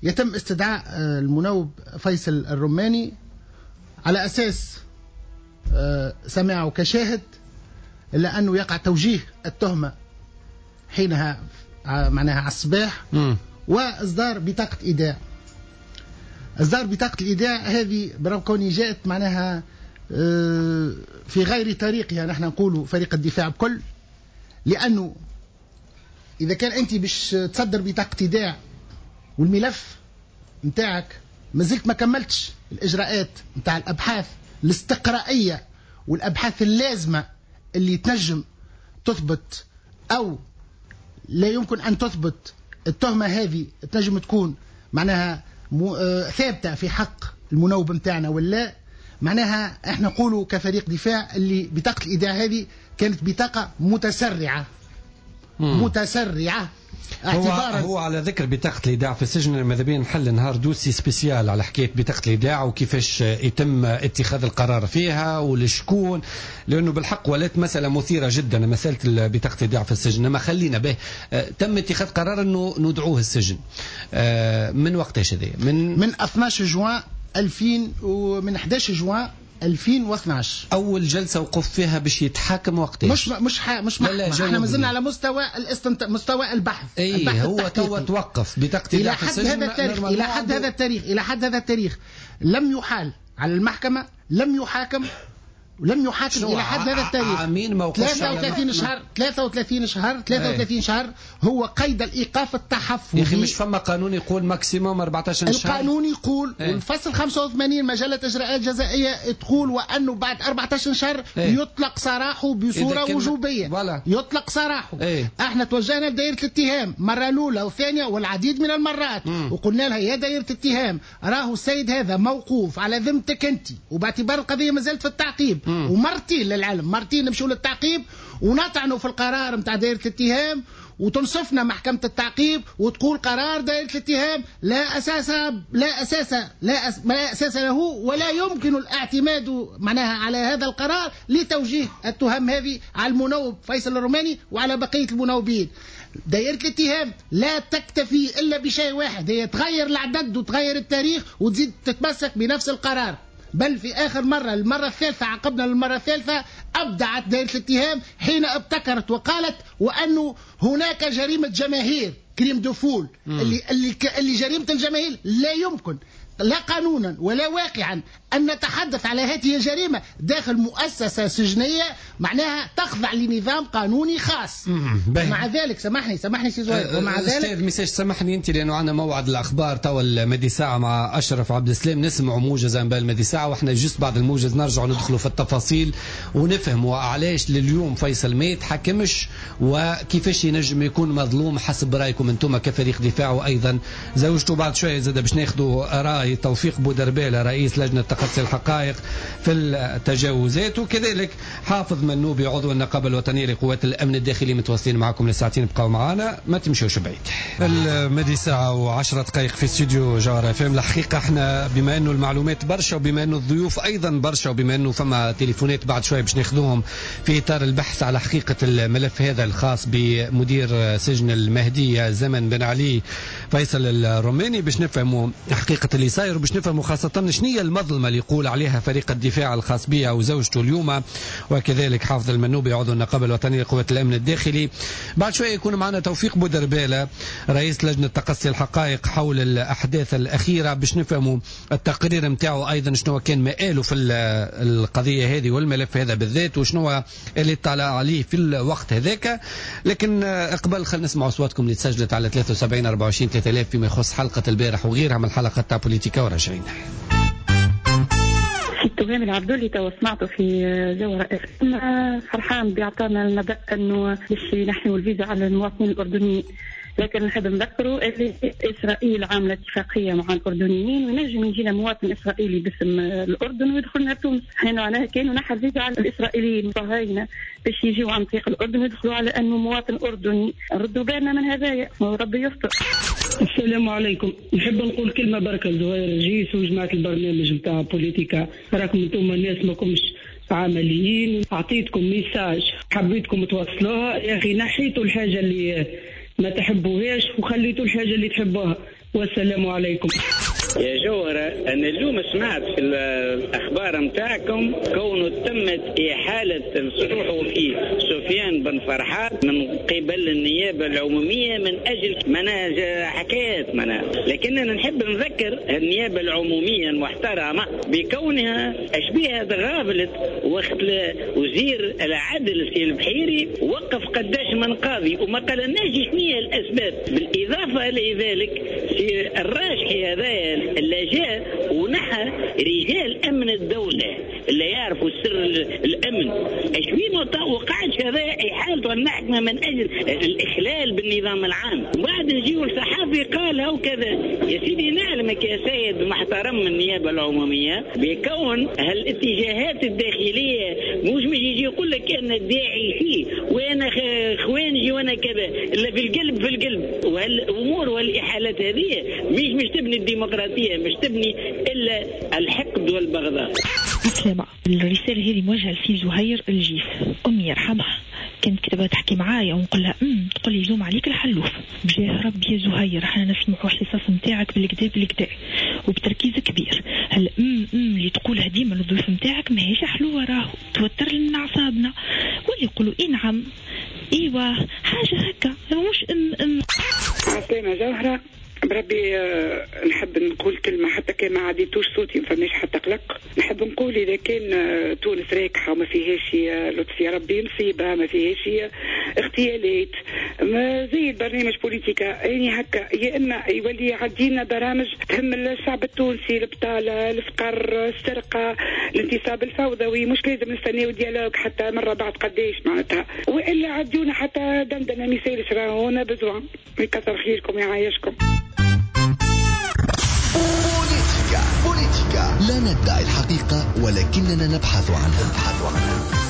يتم استدعاء المنوب فيصل الرماني على أساس سماعه كشاهد، إلا أنه يقع توجيه التهمة حينها معناها على الصباح، وإصدار بطاقة إيداع. إصدار بطاقة الإيداع هذه برغم كوني جاءت معناها في غير طريقها، نحن نقولوا فريق الدفاع بكل، لأنه إذا كان أنت باش تصدر بطاقة إيداع والملف نتاعك مازلت ما كملتش الإجراءات نتاع الأبحاث الاستقرائية والأبحاث اللازمة اللي تنجم تثبت أو لا يمكن أن تثبت التهمة هذه، تنجم تكون معناها ثابتة في حق المنوب نتاعنا ولا. معناها احنا نقولوا كفريق دفاع اللي بطاقة الإيداع هذه كانت بطاقة متسرعة. مم. متسرعة. هو, هو على ذكر بطاقة الإيداع في السجن، ماذا بينا نحل نهار dossier spécial على حكاية بطاقة الإيداع وكيفاش يتم اتخاذ القرار فيها ولشكون، لأنه بالحق ولات مسألة مثيرة جدا مسألة بطاقة الإيداع في السجن. ما خلينا به تم اتخاذ قرار أنه ندعوه السجن من وقتاش هذا؟ من من اثناش جوان ألفين ومن أحد عشر جوان ألفين واثناش أول جلسة وقف فيها باش يتحاكم وقتاش؟ مش مش ح... مش محكمة، احنا مازلنا على مستوى الاستنت... مستوى البحث. اي البحث هو توا توقف بطاقة إلى حد هذا التاريخ، إلى حد هذا التاريخ، إلى حد هذا التاريخ لم يحال على المحكمة، لم يحاكم، لم يحاكم الى حد هذا التاريخ. عامين ما وقفش. ثلاثة وثلاثين شهر، ثلاثة وثلاثين شهر، ثلاثة وثلاثين شهر هو قيد الايقاف التحفظي. يا اخي مش فما قانون يقول maximum أربعة عشر شهر؟ القانون يقول ايه؟ والفصل خمسة وثمانين مجلة اجراءات جزائيه تقول وانه بعد أربعة عشر شهر ايه؟ يطلق سراحه بصورة وجوبيه. voilà. يطلق سراحه. ايه؟ احنا توجهنا لدائره الاتهام مرة الاولى والثانية والعديد من المرات. مم. وقلنا لها يا دائرة الاتهام راهو السيد هذا موقوف على ذمتك انت، وباعتبار القضية ما زالت في التعقيب. مم. ومرتين للعلم، مرتين نمشوا للتعقيب ونطعنوا في القرار نتاع دائرة الاتهام، وتنصفنا محكمة التعقيب وتقول قرار دائرة الاتهام لا أساس لا أساس لا, أس لا أساس له ولا يمكن الاعتماد معناها على هذا القرار لتوجيه التهم هذه على المنوب فيصل الروماني وعلى بقية المنوبين. دائرة الاتهام لا تكتفي إلا بشيء واحد، هي تغير العدد وتغير التاريخ وتزيد تتمسك بنفس القرار. بل في آخر مرة، المرة الثالثة، عقبنا للمرة الثالثة، أبدعت دائرة الاتهام حين ابتكرت وقالت وأنه هناك جريمة جماهير، crime de foule، اللي, اللي, اللي جريمة الجماهير لا يمكن لا قانونا ولا واقعا أن نتحدث على هذه الجريمة داخل مؤسسة سجنية معناها تخضع لنظام قانوني خاص. ومع ذلك سامحني سامحني سي زهير، ومع ذلك أستاذ ميساج سامحني أنت، لأنه عندنا موعد الأخبار توا المدي ساعة مع أشرف عبد السلام، نسمعوا موجز أنباء المدي ساعة، وإحنا juste بعد الموجز نرجعوا ندخلوا في التفاصيل ونفهموا علاش لليوم فيصل ما يتحكمش وكيفاش ينجم يكون مظلوم حسب رأيكم أنتم كفريق دفاع، وأيضا زوجته بعد شوية زاد باش ناخذوا رأي توفيق بودربالة رئيس لجنة تقصي الحقائق في التجاوزات، وكذلك حافظ منوبي عضو النقابة الوطنية لقوات الأمن الداخلي. متواصلين معكم لساعتين، بقاو معنا ما تمشوش بعيد. المدي ساعة وعشرة دقائق في استوديو جوهرة اف ام. الحقيقة احنا بما انه المعلومات برشا وبما انه الضيوف ايضا برشا وبما انه فما تليفونات بعد شوية باش ناخذوهم في اطار البحث على حقيقة الملف هذا الخاص بمدير سجن المهدية زمن بن علي فيصل الروماني، باش نفهموا حقيقة اللي صاير وباش نفهموا خاصة شنية المظلمة اللي يقول عليها فريق الدفاع الخاص بها وزوجته اليوم، وكذلك حافظ المنوبي عضو النقابة الوطنية لقوات الأمن الداخلي. بعد شوية يكون معنا توفيق بودربالة رئيس لجنة تقصي الحقائق حول الأحداث الأخيرة باش نفهموا التقرير متاعه أيضا شنو كان مآله في القضية هذه والملف هذا بالذات وشنو اللي طلع عليه في الوقت هذاك. لكن قبل خلينا نسمع أصواتكم اللي تسجلت على ثلاثة وسبعين أربعة وعشرين ثلاثة آلاف فيما يخص حلقة البارح وغيرها من الحلقات تاع بوليتيكا وراجعين. التهامي العبدولي توا سمعته في جوهرة اف ام فرحان بيعطانا النبأ انه باش ينحيوا الفيزا على المواطنين الاردنيين، لكن نحب نذكروا اللي اسرائيل عامله اتفاقية مع الاردنيين وينجم يجينا مواطن اسرائيلي باسم الاردن ويدخلنا تونس. حين معناها كانوا نحى الفيزا على الاسرائيليين الصهاينة باش يجيو عن طريق الاردن ويدخلوا على انه مواطن اردني. ردوا بالنا من هذايا وربي يستر. السلام عليكم. نحب نقول كلمة بركة لزهير الجيس وجماعه البرنامج نتاع بوليتيكا، راكم انتم الناس ماكمش عمليين. أعطيتكم message حبيتكم توصلوها، يا أخي نحيتوا الحاجة اللي ما تحبوهاش وخليتوا الحاجة اللي تحبوها. والسلام عليكم. يا جوهرة، أنا اليوم سمعت في الأخبار متاعكم كونه تمت إحالة الصحفي سفيان بن فرحات من قبل النيابة العمومية من أجل مناهج حكايات مناهج، لكن أنا نحب نذكر النيابة العمومية المحترمة بكونها أشبيها تغافلت وقت وزير العدل سي البحيري وقف قداش من قاضي وما قالناش شنو هي الأسباب. بالإضافة لذلك سي الراجحي هذا اللي جاء ونحى رجال امن الدولة اللي يعرفوا سر الامن، اشوي ما وقعش هذا احالته المحكمة من اجل الاخلال بالنظام العام. وبعد نجيو الصحافي قال هو كذا. يا سيدي نعلمك يا سيد محترم من النيابة العمومية بكون هالاتجاهات الداخلية مش مش يجي يقول لك انا داعشي وانا خوانجي وانا كذا، الا في القلب في القلب. وهالامور والاحالات هذه مش مش تبني الديمقراطية، مش تبني الا الحقد والبغضاء. عسلامة، الرسالة هذه موجهة لسي زهير الجيف، أمي يرحمها كانت كتبها تحكي معايا ونقول لها امم تقول لي زوم عليك الحلوف. بجاه ربي يا زهير احنا نسمعوا الحصص نتاعك بالكدا بالكدا وبتركيز كبير. هل امم امم اللي تقولها ديما للضيوف نتاعك ماهيش حلوة، راهو توتر لنا اعصابنا. واللي يقولوا اي نعم ايوا حاجة هكا مش ام ام. عسلامة جوهره، بربي نحب نقول كلمة حتى كان ما عديتوش صوتي ما فماش حتى قلق. نحب نقول إذا كان تونس راكحة وما فيهاش لطف يا ربي مصيبة، ما فيهاش اغتيالات، ما زي البرنامج بوليتيكا يعني هكا، يا إما يولي يعدينا برامج تهم الشعب التونسي، البطالة، الفقر، السرقة، الانتصاب الفوضوي، مش لازم نستناو dialogue حتى مرة بعد قداش معناتها، وإلا عديونا حتى دندنة ما يسالش راهو besoin. يكثر خيركم يعايشكم. بوليتيكا بوليتيكا لا ندعي الحقيقة ولكننا نبحث عنها.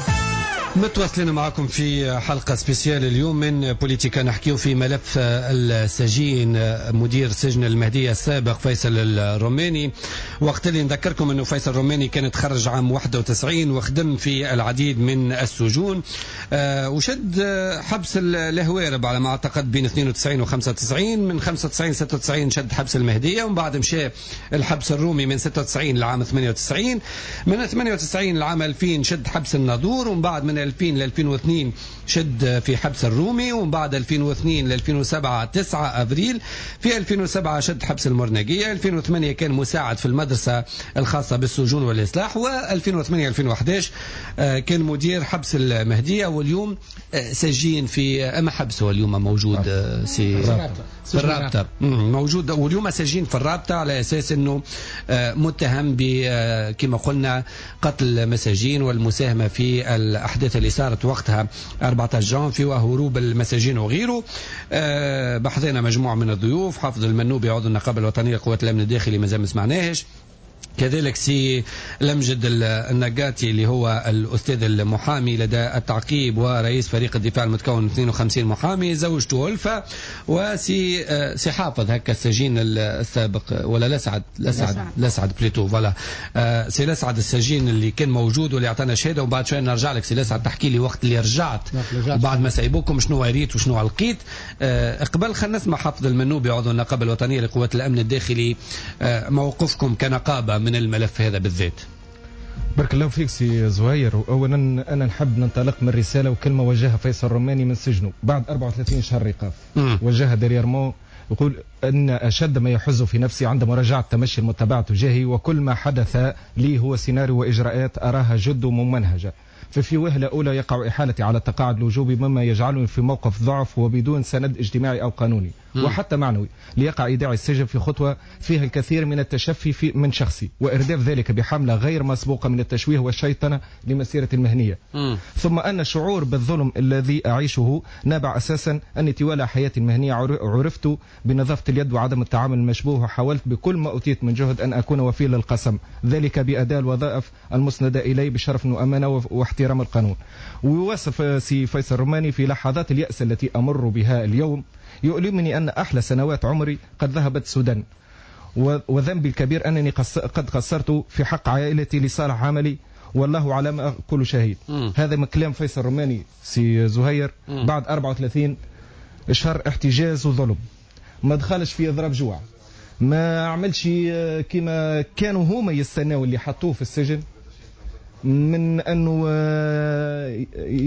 متواصلين معكم في حلقة spéciale اليوم من بوليتيكا، نحكيو في ملف السجين مدير سجن المهدية السابق فيصل الروماني. وقت اللي نذكركم انه فيصل الروماني كان تخرج عام واحد وتسعين وخدم في العديد من السجون، وشد حبس الهوارب على ما اعتقد بين اثنين وتسعين و خمسة وتسعين، من خمسة وتسعين ستة وتسعين شد حبس المهدية، ومن بعد مشى الحبس الرومي من ستة وتسعين لعام ثمانية وتسعين، من ثمانية وتسعين لعام ألفين شد حبس الناظور، ومن بعد من ألفين ل ألفين واثنين شد في حبس الرومي، ومن بعد ألفين واثنين ل ألفين وسبعة تسعة أفريل، في ألفين وسبعة شد حبس المرنجية، ألفين وثمانية كان مساعد في المدرسة الخاصة بالسجون والإصلاح، و ألفين وثمانية ألفين وأحد عشر كان مدير حبس المهدية، واليوم سجين في أما حبس هو اليوم موجود سي في الرابطة موجود، واليوم سجين في الرابطة على أساس أنه متهم ب كما قلنا قتل مساجين والمساهمة في الأحداث اللي صارت وقتها أربعة عشر جانفي وهروب المساجين وغيره. بحثنا مجموعة من الضيوف، حافظ المنوبي عضو النقابة الوطنية لقوات الأمن الداخلي مازال ما سمعناهش، كذلك سي لمجد النقاتي اللي هو الأستاذ المحامي لدى التعقيب ورئيس فريق الدفاع المتكون من اثنين وخمسين محامي، زوجته ألفة، وسي سي حافظ هكا السجين السابق ولا لسعد لسعد لسعد plutôt voilà سي لسعد السجين اللي كان موجود واللي اعطانا شهادة، وبعد شوية نرجع لك سي لسعد تحكي لي وقت اللي رجعت وبعد ما سايبوكم شنو ريت وشنو لقيت. قبل خلينا نسمع حافظ المنوبي عضو النقابة الوطنية لقوات الأمن الداخلي، موقفكم كنقابة من الملف هذا بالذات. بارك الله فيك سي زهير. اولا انا نحب ننطلق من رسالة وكلمه وجهها فيصل الروماني من سجنه بعد أربعة وثلاثين شهر ايقاف، وجهها dernièrement، يقول ان اشد ما يحز في نفسي عند مراجعه تمشي المتبع تجاهي وكل ما حدث لي هو سيناريو واجراءات اراها جد ممنهجه، ففي وهلة أولى يقع إحالتي على التقاعد الوجوبي مما يجعلني في موقف ضعف وبدون سند اجتماعي أو قانوني وحتى معنوي ليقع إيداع السجن في خطوة فيها الكثير من التشفي في من شخصي وإرداف ذلك بحملة غير مسبوقة من التشويه والشيطنة لمسيرتي المهنية. م. ثم أن الشعور بالظلم الذي أعيشه نابع أساسا أني طوال حياتي المهنية عرفت بنظافة اليد وعدم التعامل المشبوه، وحاولت بكل ما أوتيت من جهد أن أكون وفي للقسم، ذلك بأداء الوظائف المسندة إلي بشرف وأمانة واحترام القانون. ويوصف سي فيصل الروماني في لحظات اليأس التي أمر بها اليوم يؤلمني أن أحلى سنوات عمري قد ذهبت سدى، وذنبي الكبير أنني قد قصرت في حق عائلتي لصالح عملي، والله على ما أقول شهيد. م. هذا من كلام فيصل الرماني سي زهير. م. بعد أربعة وثلاثين شهر احتجاز وظلم، ما دخلش في اضراب جوع، ما عملش كما كانوا هما يستناو اللي حطوه في السجن من انه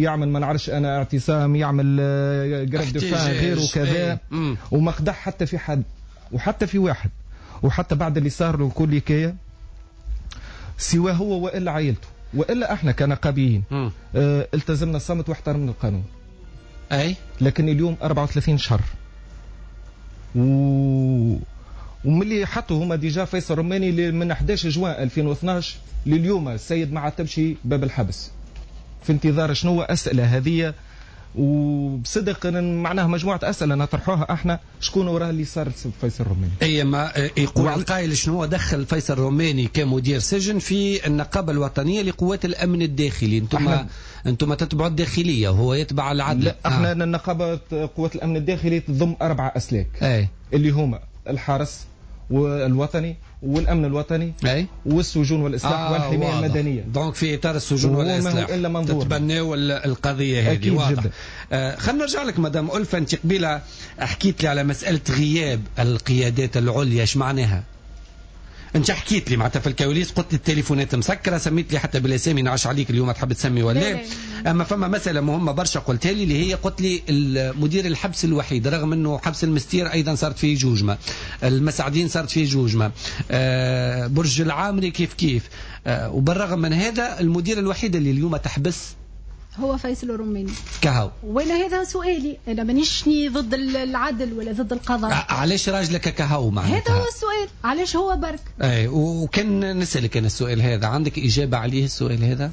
يعمل ما نعرفش انا اعتصام، يعمل grève de faim غيره وكذا، وما خدع حتى في حد وحتى في واحد، وحتى بعد اللي صار له كل حكاية سوى هو والا عائلته والا احنا كنقابيين آه التزمنا الصمت واحترمنا القانون. اي لكن اليوم أربعة وثلاثين شهر و وملي حطوا هما déjà فيصل رماني من أحد عشر جوان ألفين واثناش لليوم السيد ما عتبش باب الحبس في انتظار شنو اسئلة هذه، وبصدق معناها مجموعة اسئلة نطرحوها احنا، شكون وراه اللي صار فيصل الرماني؟ اي ما يقول القائل شنو دخل فيصل الرماني كمدير سجن في النقابة الوطنية لقوات الامن الداخلي؟ انتم انتم تتبعوا الداخلية وهو يتبع العدل. لا احنا آه. النقابة قوات الامن الداخلي تضم اربع اسلاك. أي. اللي هما الحرس والوطني والامن الوطني أي؟ والسجون والاصلاح آه والحماية واضح. المدنية. donc في اطار السجون والاصلاح تتبناو القضية هذه. واضح. آه خلينا نرجع لك مدام ألفة، انت قبيلة حكيت لي على مسالة غياب القيادات العليا، ايش معناها؟ انت حكيت لي معناتها في الكواليس، قلت لي التليفونات مسكره، سميت لي حتى بالاسامي، نعش عليك اليوم تحب تسمي ولا. اما فما مسالة مهمة برشا قلتها لي اللي هي قلت لي مدير الحبس الوحيد، رغم انه حبس المستير ايضا صارت فيه جوجمه، المسعدين صارت فيه جوجمه، آه برج العامري كيف كيف، آه وبالرغم من هذا المدير الوحيد اللي اليوم تحبس هو فيصل الرماني. كهو. وانا هذا سؤالي، انا مانيش ضد العدل ولا ضد القضاء. علاش راجلك كهو معناتها؟ هذا هو السؤال، علاش هو برك؟ اي وكان نسألك انا السؤال هذا، عندك اجابه عليه السؤال هذا؟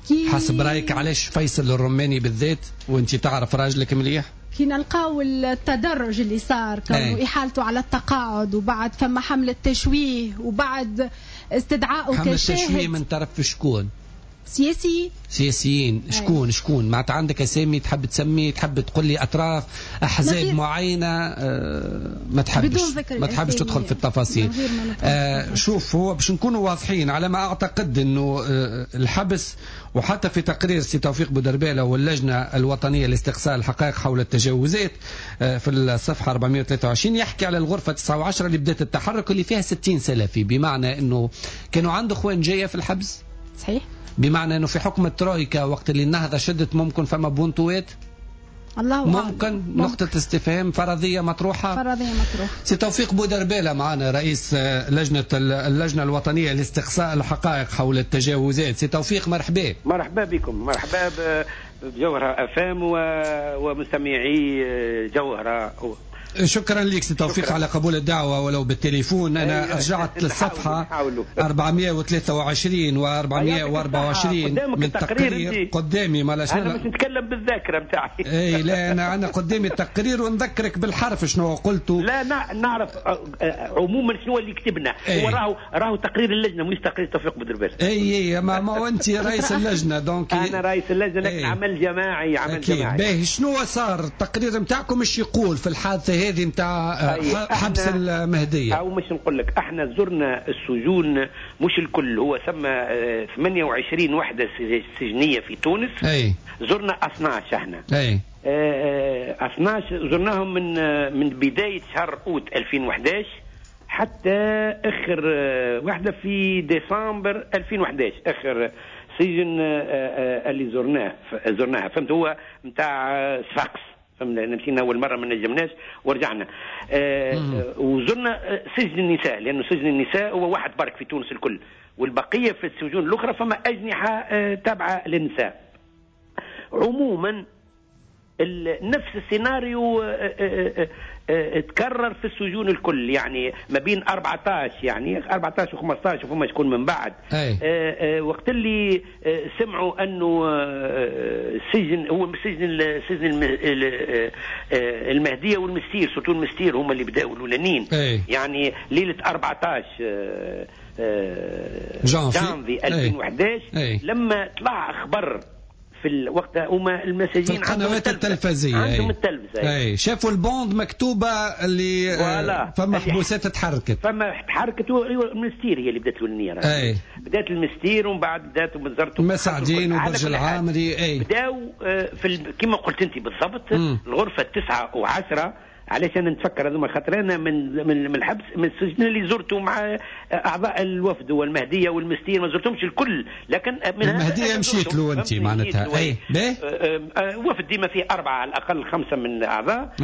كي... حسب رايك علاش فيصل الرماني بالذات وانت تعرف راجلك مليح؟ كي نلقاو التدرج اللي صار، كانوا احالته على التقاعد، وبعد فما حمله تشويه، وبعد استدعائه كشاهد. حمله تشويه من طرف شكون؟ سياسي سياسيين. شكون شكون معناتها عندك اسامي تحب تسمي، تحب تقول لي اطراف احزاب معينة؟ آه ما تحبش ما تحبش تدخل في التفاصيل. آه شوف، هو باش نكونوا واضحين على ما اعتقد انه آه الحبس، وحتى في تقرير سي توفيق بودربالة واللجنة الوطنية لاستقصاء الحقائق حول التجاوزات آه في الصفحة أربعمائة وثلاثة وعشرين يحكي على الغرفة تسعة وعشرة اللي بدات التحرك اللي فيها ستين سلفي، بمعنى انه كانوا عنده اخوان جاية في الحبس. صحيح. بمعنى انه في حكم الترويكا وقت اللي النهضة شدت ممكن فما بونتوات، الله ممكن, ممكن نقطة استفهام فرضية مطروحة، فرضية مطروحة. سي توفيق بودربالة معنا رئيس لجنة اللجنة الوطنية لاستقصاء الحقائق حول التجاوزات. سي توفيق مرحبا. مرحبا بكم، مرحبا بجوهرة أفام ومستمعي جوهرة. شكرا لك سي توفيق على قبول الدعوة ولو بالتليفون. أنا رجعت للصفحة أربعمائة وثلاثة وعشرين و أربعمائة وأربعة وعشرين من تقرير قدامي. ما أنا مش نتكلم بالذاكرة نتاعي. اي لا أنا أنا قدامي التقرير ونذكرك بالحرف شنو قلته. لا نعرف عموما شنو اللي كتبنا. هو راهو راهو تقرير اللجنة مش تقرير توفيق بودربالة. اي اي ما, ما أنت رئيس اللجنة donc. أنا رئيس اللجنة لكن عمل جماعي، عمل جماعي. باهي، شنو صار التقرير نتاعكم ايش يقول في الحادثة هذه نتاع حبس المهدية؟ أو مش نقول لك احنا زرنا السجون مش الكل، هو سمى ثمانية وعشرين وحدة سجنية في تونس. أي. زرنا اثناش احنا. أي. اثناش زرناهم من من بداية شهر أوت ألفين وأحد عشر حتى آخر وحدة في ديسمبر ألفين وأحد عشر، آخر سجن اللي زرناه زرناها فهمت، هو نتاع صفاقس. فهمنا مشينا اول مرة ما نجمناش ورجعنا. آه وزرنا سجن النساء، لانه سجن النساء هو واحد برك في تونس الكل، والبقية في السجون الاخرى فما اجنحة آه تابعه للنساء. عموما نفس السيناريو تكرر في السجون الكل، يعني ما بين أربعة عشر يعني أربعة عشر وخمسة عشر وفما شكون من بعد. أي. وقت اللي سمعوا انه السجن هو سجن سجن المهدية والمستير، surtout المستير هما اللي بداوا الاولانيين. يعني ليلة أربعة عشر جانفي ألفين وأحد عشر لما طلع خبر في الوقت هما المساجين في القنوات التلفزية عندهم التلفزة اي شافوا ال bande مكتوبة اللي فما حبوسات تحركت، فما تحركت. المستير هي اللي بدات الاولانية، اي بدات المستير ومن بعد بدات وزارة مسعدين وبرج العامري. اي بداوا في ال... كما قلت انت بالضبط الغرفة التسعة وعشرة. علاش انا نتفكر هذوما؟ خاطر انا من من الحبس من السجن اللي زرته مع اعضاء الوفد والمهديه والمستير، ما زرتهمش الكل لكن من المهدية مشيت له انت معناتها. اي وفد ديما فيه اربعة على الاقل خمسة من الاعضاء.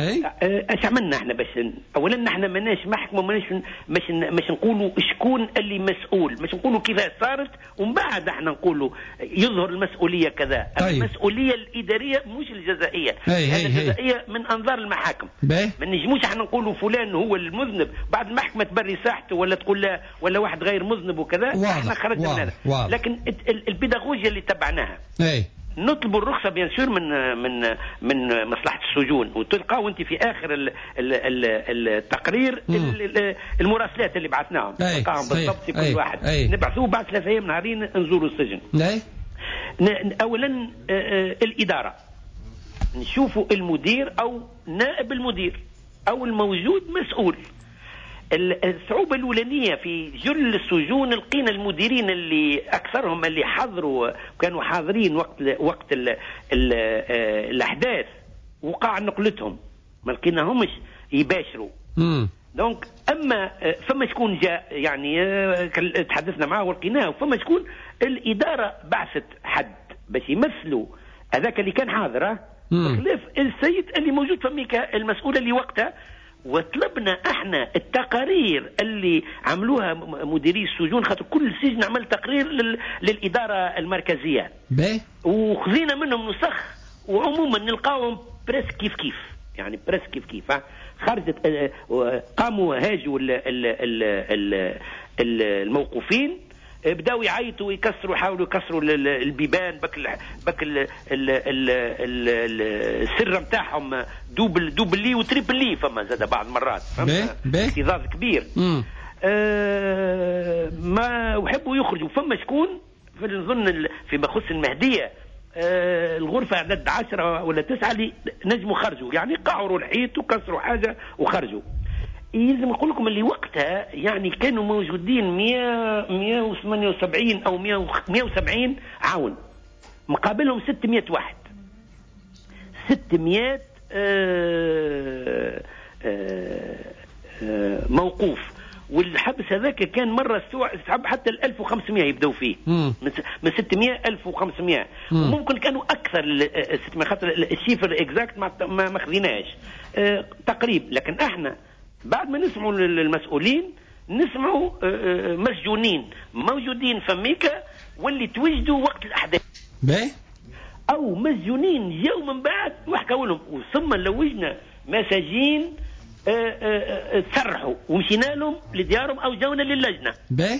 اش عملنا احنا باش اولا احنا ماناش محكمة، ماناش مش مش نقولوا شكون اللي مسؤول، مش نقولوا كيفاش صارت ومن بعد احنا نقولوا يظهر المسؤولية كذا. طيب. المسؤولية الادارية مش الجزائيه، الجزائيه من انظار المحاكم. ما نجموش احنا نقولوا فلان هو المذنب بعد المحكمة تبري ساحته ولا تقول لا ولا واحد غير مذنب وكذا. احنا خرجنا من هذا، لكن البيداغوجيا اللي تبعناها اي نطلبوا الرخصة bien sûr من من من مصلحة السجون، وتلقاو انت في اخر ال ال ال التقرير المراسلات اللي بعثناهم، تلقاهم بالضبط في كل واحد نبعثوه بعد ثلاثة ايام نهارين نزوروا السجن. اي اولا الادارة نشوفوا المدير او نائب المدير او الموجود مسؤول. الصعوبة الأولانية في جل السجون لقينا المديرين اللي أكثرهم اللي حضروا كانوا حاضرين وقت وقت ال ال الأحداث وقع نقلتهم، ما لقيناهمش يباشروا. donc أما فما شكون جاء يعني تحدثنا معه ولقيناه، فما شكون الإدارة بعثت حد باش يمثلوا هذاك اللي كان حاضر، بخلاف السيد اللي موجود فميكا المسؤول اللي وقتها. وطلبنا احنا التقارير اللي عملوها مديري السجون، خاطر كل سجن عمل تقرير لل... للادارة المركزية، وخذينا منهم نسخ، وعموما نلقاهم presque كيف كيف، يعني presque كيف كيف. خرجت قاموا هاجوا ال... ال... ال... ال... الموقوفين، بداوا يعيطوا ويكسروا، حاولوا يكسروا البيبان بك ال بك ال ال ال السر نتاعهم double double و triple، فما زاد بعض المرات اكتظاظ كبير. آه ما وحبوا يخرجوا. فما شكون في نظن فيما يخص المهدية آه الغرفة عدد عشرة ولا تسعة اللي نجموا خرجوا، يعني قعروا الحيط وكسروا حاجة وخرجوا. يلزم نقول لكم اللي وقتها يعني كانوا موجودين مئة وثمانية وسبعين او مئة وسبعين عون، مقابلهم ستمئة واحد، ستمئة آه آه آه موقوف. والحبس هذاك كان مرة استوعب حتى ال ألف وخمسمئة يبداو فيه، من ستمئة ألف وخمسمئة، وممكن كانوا اكثر ستمئة خاطر ال chiffre exact ما ما خذيناش آه تقريب. لكن احنا بعد ما نسمعوا المسؤولين نسمعوا مسجونين موجودين فميكا واللي توجدوا وقت الاحداث باهي، او مسجونين جاوا من بعد وحكوا لهم، وثم لوجنا مساجين تسرحوا ومشينا لهم لديارهم او جاونا للجنة. باهي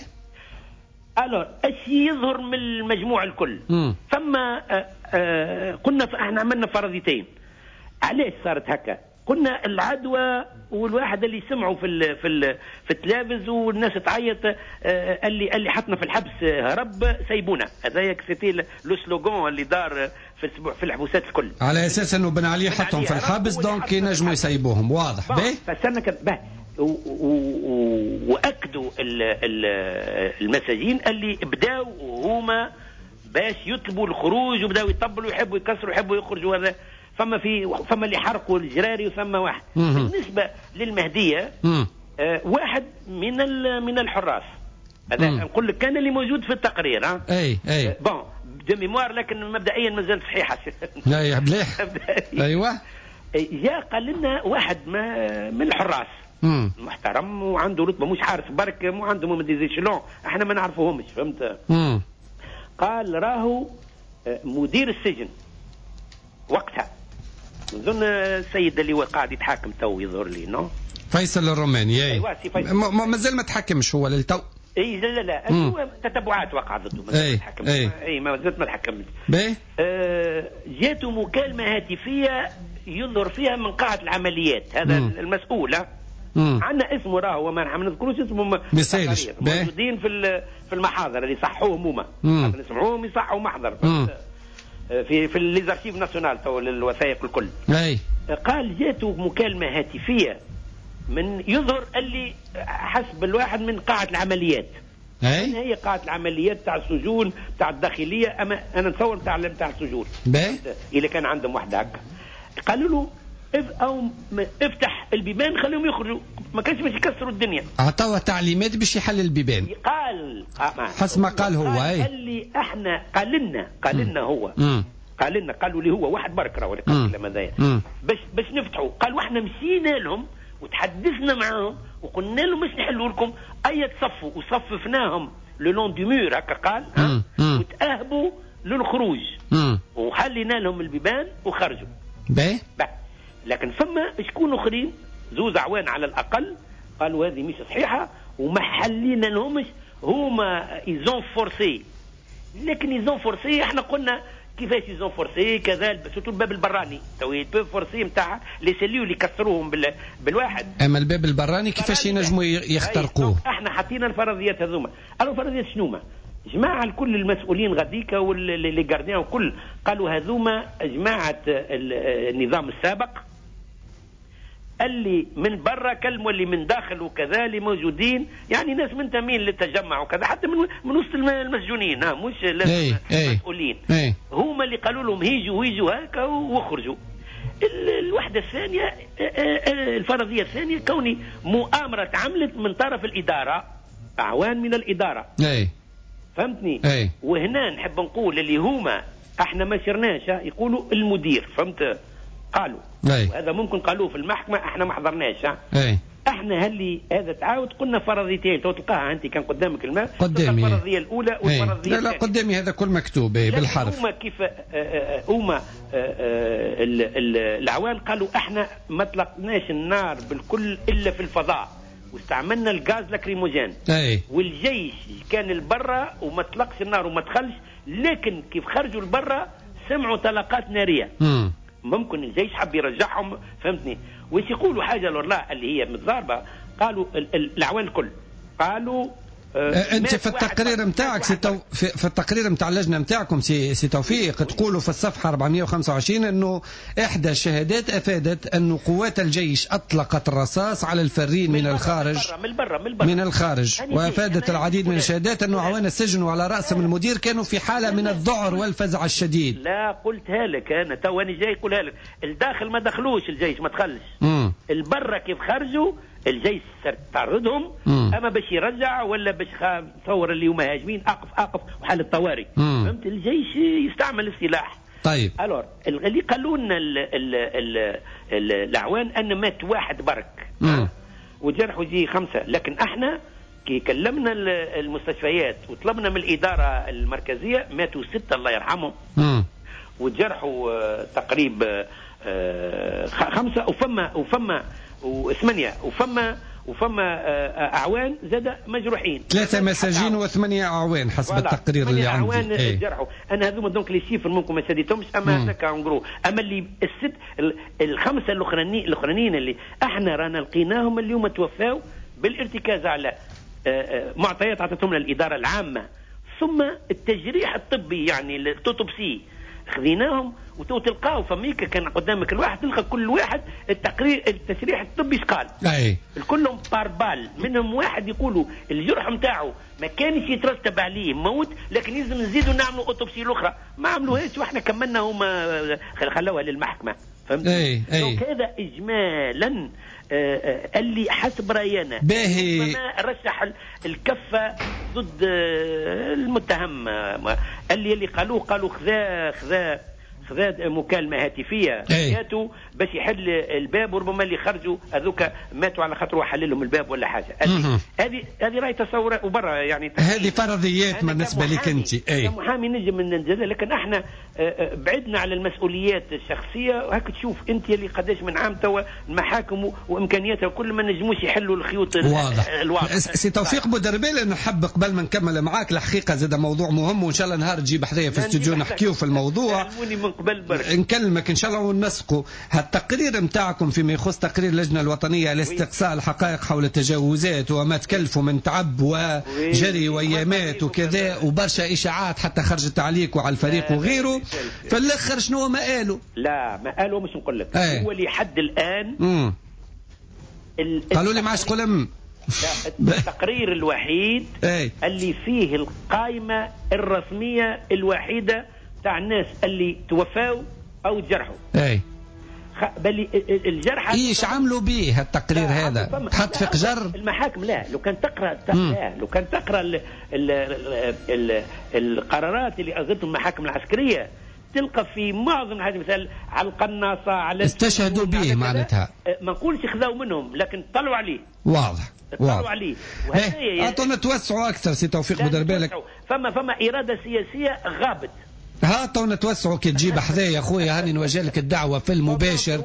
alors اش يظهر من المجموع الكل؟ فما قلنا احنا عملنا فرضيتين علاش صارت هكا. قلنا العدوى والواحد اللي سمعوا في ال في ال في التلفز والناس تعيط اللي اللي حطنا في الحبس هرب سيبونا، هذايا c'était le slogan اللي دار في في الحبوسات الكل، على اساس انه بن علي حطهم في الحبس donc ينجموا يسيبوهم. واضح. باهي فسرنا به واكدوا المساجين اللي بداوا هما باش يطلبوا الخروج وبداوا يطبلوا يحبوا يكسروا يحبوا يخرجوا. هذا فما في فما اللي حرقوا الجراري وثم واحد. مم. بالنسبة للمهديه آه واحد من من الحراس، هذا نقول لك كان اللي موجود في التقرير. ها اي اي bon de mémoire، لكن مبدئيا مازال صحيحه. لا يا مليح. ايوه جاء قال لنا واحد ما من الحراس مم. محترم وعنده رتبه، مش حارس برك، مو عنده من des échelons احنا ما نعرفوهمش، فهمت؟ مم. قال راهو مدير السجن وقتها، نظن السيد اللي هو قاعد يتحاكم تو يظهر لي non فيصل الروماني. اي ايوه سي فيصل مازال ما تحكمش هو للتو. اي لا لا لا هو تتبعات وقع ضده، ما تحكمش. اي, أي ما زالت ما تحكمش. باهي آه جاته مكالمة هاتفيه يظهر فيها من قاعة العمليات، هذا مم. المسؤول. عندنا اسمه راهو ما نذكروش اسمه، ما يسالش، موجودين في في المحاضر اللي صحوهم هما، نسمعوهم يصحوا محضر. في في les archives nationales تو الوثائق الكل. اي قال جاته مكالمة هاتفيه من يظهر اللي حسب الواحد من قاعة العمليات. اي هي قاعة العمليات تاع السجون تاع الداخلية، اما انا نتصور تاع تاع السجون اذا كان عندهم واحدة هكا. قالوا له او افتح البيبان خليهم يخرجوا، ما كانش باش يكسروا الدنيا. عطاوه تعليمات باش يحل البيبان. قال حسب ما قال هو. اي قال لي احنا قال لنا قال لنا هو مم. قال لنا قالوا لي هو واحد برك راهو اللي قال الكلام هذايا باش باش نفتحوا. قال واحنا مشينا لهم وتحدثنا معاهم وقلنا لهم باش نحلوا لكم، اي تصفوا، وصففناهم le long du mur هكا قال، وتاهبوا للخروج وحلينا لهم البيبان وخرجوا. باهي. لكن فما شكون اخرين زوز عوان على الاقل قالوا هذه مش صحيحه وما حلينا لهمش، هما ils ont forcé. لكن ils ont forcé احنا قلنا كيفاش ils ont forcé كذا، surtout الباب البراني تو ils peuvent forcer نتاع les cellules اللي كسروهم بال... بالواحد. اما الباب البراني كيفاش ينجموا يخترقوه؟ احنا حطينا الفرضيات هذوما. قالوا الفرضيات شنو هما؟ جماعة الكل المسؤولين غاديكا و les gardiens وكل قالوا هذوما جماعة النظام السابق اللي من برا كلموا اللي من داخل وكذا اللي موجودين، يعني ناس منتمين للتجمع وكذا، حتى من من وسط المسجونين، ها مش لازم مسؤولين، هما اللي قالوا لهم هيجوا هيجوا هكا واخرجوا. الوحدة الثانية الفرضية الثانية كوني مؤامرة تعملت من طرف الادارة، اعوان من الادارة. اي فهمتني؟ أي. وهنا نحب نقول اللي هما احنا ما شرناش، يقولوا المدير، فهمت؟ قالوا أي. وهذا ممكن قالوه في المحكمة، احنا ما حضرناش. أي. احنا هل هذا تعاود قلنا فرضيتين تو تلقاها انت كان قدامك الماء، قدامي الفرضية الاولى والفرضيه لا لا قدامي هذا كل مكتوب بالحرف. هما كيف هما العوان قالوا احنا ما طلقناش النار بالكل الا في الفضاء واستعملنا الغاز lacrymogène. أي. والجيش كان البرة وما طلقش النار وما دخلش، لكن كيف خرجوا البرة سمعوا طلقات نارية. مم. ممكن الجيش حب يرجعهم، فهمتني؟ وش يقولوا حاجة لله اللي هي متضاربة، قالوا الأعوان الكل قالوا انت في التقرير نتاعك سي تو... في التقرير نتاع اللجنة نتاعكم سي... سي توفيق تقولوا في الصفحة أربعمية وخمسة وعشرين انه احدى الشهادات افادت ان قوات الجيش اطلقت الرصاص على الفارين من, من الخارج من برا من برا من الخارج، وافادت العديد من الشهادات انه اعوان السجن وعلى راسهم المدير كانوا في حاله من الذعر والفزع الشديد. لا قلتها لك انا تو انا جاي نقولها لك، الداخل ما دخلوش الجيش ما دخلش، البرة كيف خرجوا الجيش طردهم، اما باش يرجع ولا باش تصور اللي هما هاجمين اقف اقف وحال الطوارئ، فهمت؟ الجيش يستعمل السلاح. طيب alors اللي قالوا لنا الاعوان ان مات واحد برك وجرحوا يجي خمسة، لكن احنا كي كلمنا المستشفيات وطلبنا من الادارة المركزية ماتوا ستة الله يرحمهم، وجرحوا تقريبا خمسة، وفما وفما وثمانية وفما وفما اعوان زاد مجروحين، ثلاثة مساجين وثمانية اعوان حسب التقرير اللي عندي. اعوان ايه. جرحوا. انا هذوما donc les chiffres ممكن ما سديتهمش، اما هذاك en gros. اما اللي الست الخمسة الاخرانيين الاخرانيين اللي احنا رانا لقيناهم اليوم توفاو بالارتكاز على معطيات عطتهم لنا الادارة العامة، ثم التجريح الطبي يعني ال autopsie خذيناهم وتو تلقاو فميكا كان قدامك الواحد تلقى كل واحد التقرير التشريح الطبي شقال. اي الكلهم par balle، منهم واحد يقولوا الجرح نتاعو ما كانش يترتب عليه موت، لكن لازم نزيدوا نعملوا autopsie الاخرى، ما عملوهاش واحنا كملنا هما خلوها للمحكمة، فهمت؟ اي اي هذا اجمالا اللي حسب راينا باهي رشح الكفة ضد المتهم. اللي اللي قالوه قالوا خذا خذا خذا مكالمة هاتفيه جاتو باش يحل الباب، وربما اللي خرجوا هذوك ماتوا على خاطر حل لهم الباب ولا حاجة. هذه هذه راي تصور وبرا يعني هذه فرضيات بالنسبة لك انت. اي محامي نجم ننزل، لكن احنا بعدنا على المسؤوليات الشخصية. وهك تشوف انت اللي قداش من عام توا المحاكم وامكانياتها كل ما نجموش يحلوا الخيوط. واضح الواضح. سي توفيق بودربيل، نحب قبل ما نكمل معاك الحقيقة زاد موضوع مهم، وان شاء الله نهار تجيب حذايا في الاستوديو نحكيو في الموضوع. قبل برك. نكلمك ان شاء الله ونسقوا هالتقرير نتاعكم فيما يخص تقرير اللجنة الوطنية لاستقصاء الحقائق حول التجاوزات وما تكلفوا من تعب وجري وايامات وكذا وبرشا اشاعات حتى خرجت عليك وعلى الفريق وغيره، في الاخر شنو ما قالوا؟ لا ما قالوا مش نقول لك هو لحد الان مم. قالوا لي ما عادش قلم. لا التقرير الوحيد اي. اللي فيه القائمة الرسمية الوحيدة تاع الناس اللي توفاوا أو تجرحوا. اي بل الجرحى ايش عملوا به التقرير هذا؟ تحط في قجر المحاكم. لا لو كان تقرا لا لو كان تقرا ال ال ال القرارات اللي اصدرتهم المحاكم العسكرية تلقى في معظم الحاجات، مثال على القناصه، على استشهدوا به معناتها. ما نقولش خذاو منهم لكن طلعوا عليه. واضح طلعوا عليه. وهذا اعطونا توسعوا اكثر سي توفيق بودربالك. فما فما اراده سياسية غابت. ها تو نتوسعوا كي تجيب حذايا خويا، هاني نوجه لك الدعوة في المباشر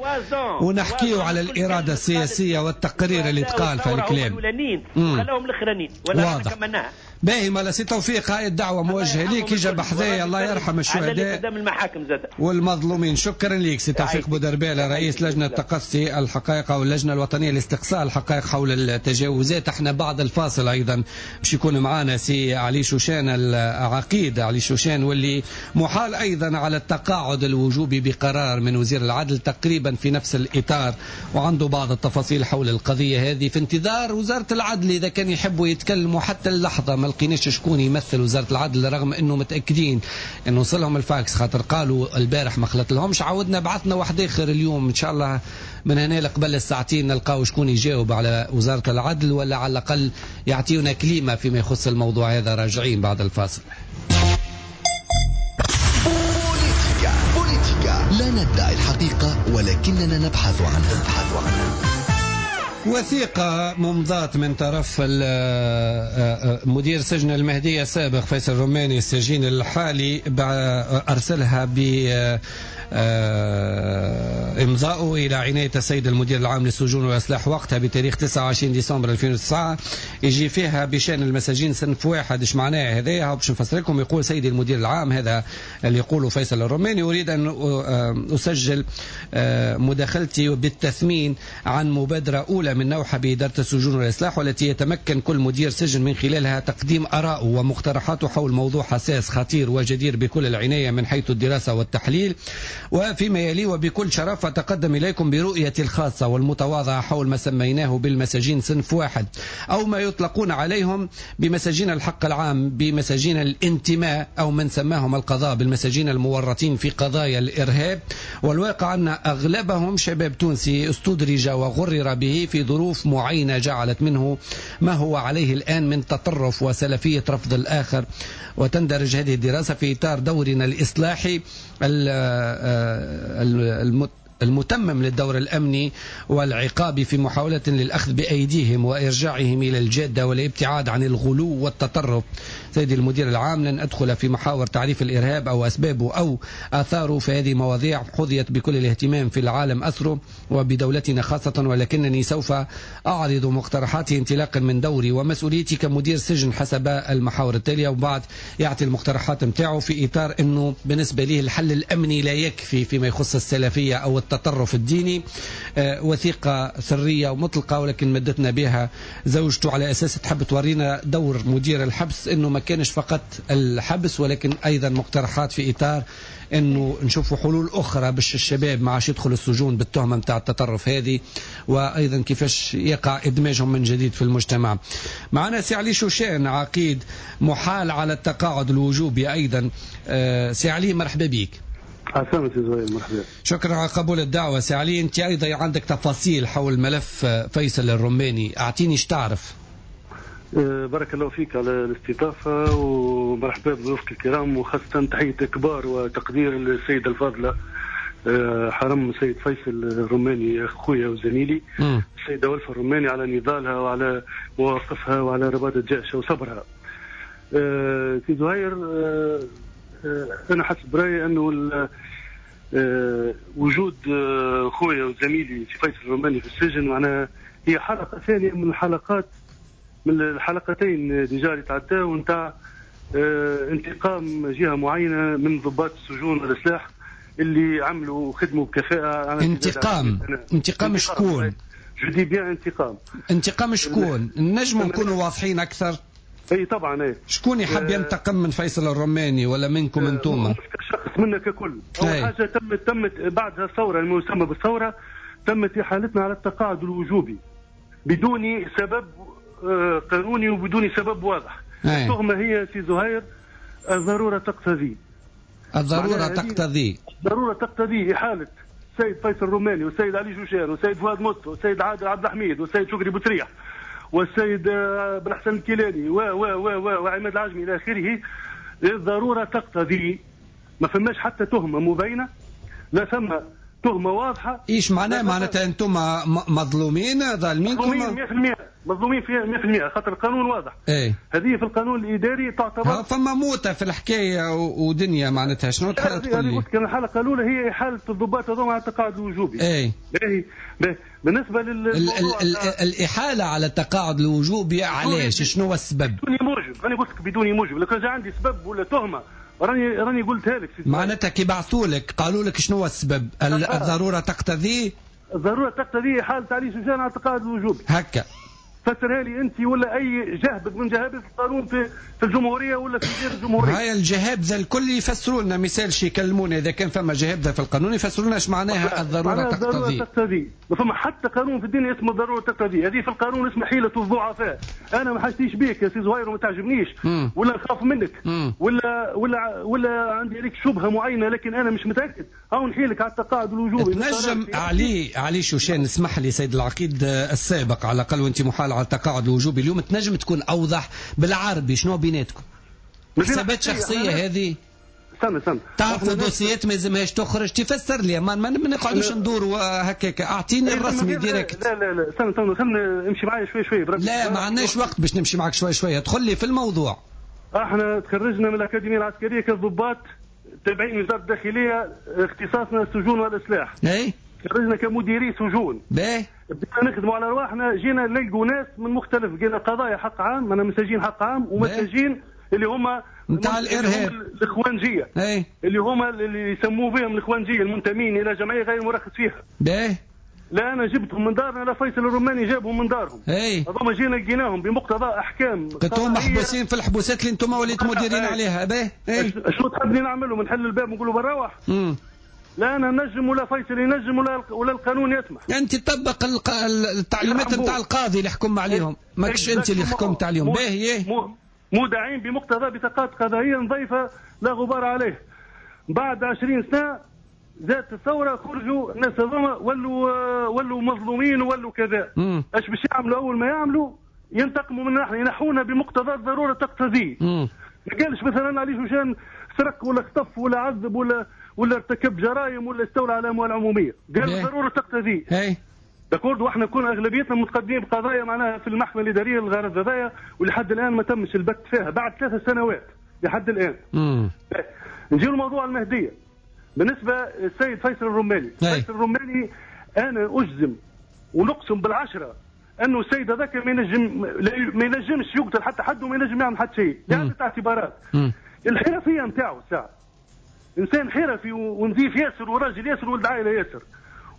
ونحكيو على الارادة السياسية والتقرير اللي تقال في الكلام. وخلاهم الاخرانيين ولا كملناها. باهي مالا سي توفيق، هاي الدعوة موجهة ليك، يجي بحذايا الله يرحم الشهداء قدام المحاكم زاد والمظلومين. شكرا ليك سي توفيق بودربالة رئيس لجنة تقصي الحقائق او اللجنة الوطنية لاستقصاء الحقائق حول التجاوزات. احنا بعد الفاصل ايضا باش يكون معنا سي علي شوشان العقيد علي شوشان، واللي محال ايضا على التقاعد الوجوبي بقرار من وزير العدل تقريبا في نفس الاطار، وعنده بعض التفاصيل حول القضية هذه. في انتظار وزارة العدل اذا كان يحبوا يتكلموا حتى اللحظة، ما لقيناش شكون يمثل وزارة العدل رغم انه متاكدين انه وصلهم الفاكس، خاطر قالوا البارح ما خلط لهمش، عاودنا بعثنا واحد اخر اليوم. ان شاء الله من هنا لقبل الساعتين نلقاو شكون يجاوب على وزارة العدل، ولا على الاقل يعطيونا كلمة فيما يخص الموضوع هذا. راجعين بعد الفاصل. بوليتيكا بوليتيكا لا ندعي الحقيقة ولكننا نبحث عنها. نبحث عنها. وثيقة ممضاة من طرف مدير سجن المهدية السابق فيصل الرماني السجين الحالي، أرسلها ب إمضاؤه إلى عناية السيد المدير العام للسجون والإصلاح وقتها بتاريخ تسعة وعشرين ديسمبر ألفين وتسعة، يجي فيها بشأن المساجين صنف واحد. ايش معناه هذايا؟ باش نفسر لكم. يقول سيدي المدير العام، هذا اللي يقوله فيصل الرماني، أريد أن أسجل مداخلتي بالتثمين عن مبادرة أولى من نوعها بإدارة السجون والإصلاح، والتي يتمكن كل مدير سجن من خلالها تقديم آرائه ومقترحاته حول موضوع حساس خطير وجدير بكل العناية من حيث الدراسة والتحليل. وفيما يلي وبكل شرف أتقدم إليكم برؤيتي الخاصة والمتواضعة حول ما سميناه بالمساجين صنف واحد، أو ما يطلقون عليهم بمساجين الحق العام، بمساجين الانتماء، أو من سماهم القضاء بالمساجين المورطين في قضايا الإرهاب. والواقع أن أغلبهم شباب تونسي استدرج وغرر به في ظروف معينة جعلت منه ما هو عليه الآن من تطرف وسلفية رفض الآخر. وتندرج هذه الدراسة في إطار دورنا الإصلاحي المتمم للدور الأمني والعقابي في محاولة للأخذ بأيديهم وإرجاعهم إلى الجادة والابتعاد عن الغلو والتطرف. سيدي المدير العام، لن أدخل في محاور تعريف الإرهاب أو أسبابه أو آثاره، فهذه مواضيع حظيت بكل الاهتمام في العالم أسره وبدولتنا خاصة، ولكنني سوف أعرض مقترحاتي انطلاقا من دوري ومسؤوليتي كمدير سجن حسب المحاور التالية. وبعد يعطي المقترحات متاعه في إطار أنه بالنسبة ليه الحل الأمني لا يكفي فيما يخص السلفية أو التطرف الديني. وثيقة سرية ومطلقة، ولكن مدتنا بها زوجته على أساس تحب تورينا دور مدير الحبس، أنه ما كانش فقط الحبس ولكن أيضا مقترحات في إطار أنه نشوفوا حلول أخرى باش الشباب ما عادش يدخلوا السجون بالتهمة متاع التطرف هذه، وأيضا كيفاش يقع إدماجهم من جديد في المجتمع. معنا سي علي شوشان عقيد محال على التقاعد الوجوبي أيضا. سي علي مرحبا بك. عسلامة سي زهير، مرحبا. شكرا على قبول الدعوة سي علي. أنت أيضا عندك تفاصيل حول ملف فيصل الرماني، أعطيني ايش تعرف. بارك الله فيك على الاستضافة ومرحبا بضيوفك الكرام، وخاصة تحية كبار وتقدير للسيدة الفاضلة حرم السيد فيصل الرماني أخويا وزميلي، السيدة ولفة الرماني على نضالها وعلى مواقفها وعلى رباط الجأش وصبرها. سي زهير، أنا حسب رأيي أنه وجود خويا وزميلي سي فيصل الرماني في السجن معناها هي حلقة ثانية من الحلقات، من الحلقتين déjà اللي تعداو نتاع انتقام جهة معينة من ضباط السجون والإصلاح اللي عملوا خدموا بكفاءة. انتقام انتقام شكون؟ je dis bien انتقام. انتقام شكون؟ نجموا نكونوا واضحين اكثر؟ اي طبعا. اي شكون يحب ينتقم من فيصل الرماني ولا منكم انتوما؟ مش كشخص، منا ككل. اول حاجة تمت تمت بعد الثورة المسمى بالثورة تمت احالتنا على التقاعد الوجوبي بدون سبب قانوني وبدون سبب واضح. التهمة هي سي زهير الضرورة تقتضي. الضرورة تقتضي. الضرورة تقتضي احالة السيد فيصل الرماني والسيد علي جوشان والسيد فؤاد مصطفى والسيد عادل عبد الحميد والسيد شكري بوتريح والسيد بالحسن الكيلاني و و و وعماد العجمي الى اخره. الضرورة تقتضي، ما فماش حتى تهمه مبينة، لا ثم تهمه واضحة. ايش معناه؟ معناتها انتم مظلومين ظالمينكم؟ مظلومين مية بالمية، مظلومين في مية بالمية خاطر القانون واضح. ايه هذه في القانون الاداري تعتبر فما موتة في الحكاية ودنيا معناتها. شنو تحب تقول لي؟ قلت لك الحلقة الاولى هي احالة الضباط هذوما على التقاعد الوجوبي. ايه باهي. بالنسبة للموضوع ال ال الاحاله على التقاعد الوجوبي علاش؟ شنو هو السبب؟ بدون موجب. انا قلت لك بدون موجب، لو كان جا عندي سبب ولا تهمه راني راني قلتها لك. معناتها كي بعثوا لك قالوا لك شنو هو السبب؟ الضرورة تقتضي. الضرورة تقتضي احالة علي شوشان على التقاعد الوجوبي. هكا فسرها لي انت ولا اي جهبذ من جهابذ القانون في في الجمهورية ولا في غير الجمهورية. هاي الجهابذه الكل يفسروا لنا، مثال شي يكلمونا اذا كان فما جهابذه في القانون يفسروا لنا اش معناها الضرورة تقتضي. الضرورة تقتضي، ما فما حتى قانون في الدنيا اسمه الضرورة تقتضي، هذه في القانون اسمها حيله الضعفاء. انا ما حاجتيش بيك يا سي زهير وما تعجبنيش مم. ولا نخاف منك مم. ولا ولا ولا عندي عليك شبهه معينة، لكن انا مش متاكد، هاو نحيلك على التقاعد الوجوبي. تنجم علي علي شوشان، اسمح لي سيد العقيد السابق على الاقل وانت محال على التقاعد الوجوبي اليوم، تنجم تكون اوضح بالعربي شنو بيناتكم؟ حسابات شخصية هذه؟ استنى استنى، تعرفوا dossier ات ما يلزمهاش تخرج، تفسر لي ما ما نقعدوش ندوروا هكاك، اعطيني الرسمي direct. لا لا لا استنى استنى، خلينا امشي معايا شوي شوي بربي. لا ما عندناش وقت باش نمشي معك شوي شوي، ادخل لي في الموضوع. احنا تخرجنا من الاكاديمية العسكرية كضباط تابعين وزارة الداخلية، اختصاصنا السجون والاسلاح. اي خرجنا كمديري سجون. باهي. بدينا نخدموا على رواحنا، جينا نلقوا ناس من مختلف، لقينا قضايا حق عام، انا مساجين حق عام ومساجين اللي هما نتاع الارهاب، الاخوانجيه. اي اللي هما اللي يسموا بهم الاخوانجيه المنتمين الى جمعية غير مرخص فيها. باهي. لا انا جبتهم من دارنا، لا فيصل الروماني جابهم من دارهم. اي هذوما جينا لقيناهم بمقتضى احكام، كنتم محبوسين في الحبوسات اللي انتم وليتوا مديرين عليها. باهي. اي شنو تحبني نعملهم؟ نحل الباب ونقولوا بنروح؟ امم لا انا نجم ولا فيصل ينجم ولا ولا القانون يسمح. انت تطبق الق... التعليمات نتاع القاضي اللي حكم عليهم، ماكش انت اللي حكمت عليهم. باهي. مودعين بمقتضى بطاقات قضائية نظيفة لا غبار عليه. بعد عشرين سنة زادت الثورة، خرجوا الناس هذوما ولوا ولوا مظلومين ولوا كذا. اش باش يعملوا؟ اول ما يعملوا ينتقموا منا احنا، ينحونا بمقتضى الضرورة تقتضي. ما قالش مثلا علي شوشان سرق ولا خطف ولا عذب ولا ولا ارتكب جرائم ولا استولى على اموال عموميه، قال الضرورة تقتضي. اي d'accord. واحنا كنا اغلبيتنا متقدمين بقضايا معناها في المحكمة الادارية للغرض هذايا، ولحد الان ما تمش البت فيها بعد ثلاث سنوات لحد الان. نجيو لموضوع المهدية. بالنسبة للسيد فيصل الرماني، فيصل الرماني انا اجزم ونقسم بالعشرة انه السيد هذاك ما ينجم ما ينجمش يقتل حتى حد وما ينجم يعمل حتى شيء، لعدة اعتبارات. الحرفية نتاعو الساعة، انسان حرفي ونظيف ياسر وراجل ياسر ولد عائلة ياسر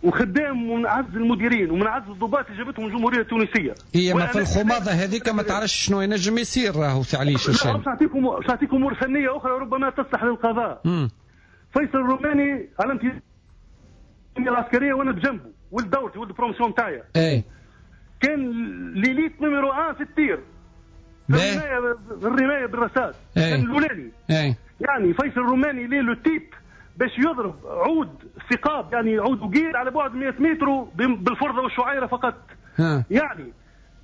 وخدام ومن اعز المديرين ومن اعز الضباط اللي جابتهم الجمهورية التونسية. هي ما في الخماضه هذيك ما تعرفش شنو ينجم يصير راهو سي علي شوشان. باش نعطيكم باش نعطيكم امور فنية اخرى ربما تصلح للقضاء. مم. فيصل الروماني على امتداد العسكرية وانا بجنبه، ولد دورتي ولد promotion تاعي. اي كان l'élite numéro واحد في ال tir، في الرماية الرماية بالرصاص، كان الاولاني. يعني فيصل الروماني ليه le type باش يضرب عود ثقاب، يعني عود وقير على بعد مئة متر بالفرضه والشعيره فقط. ها. يعني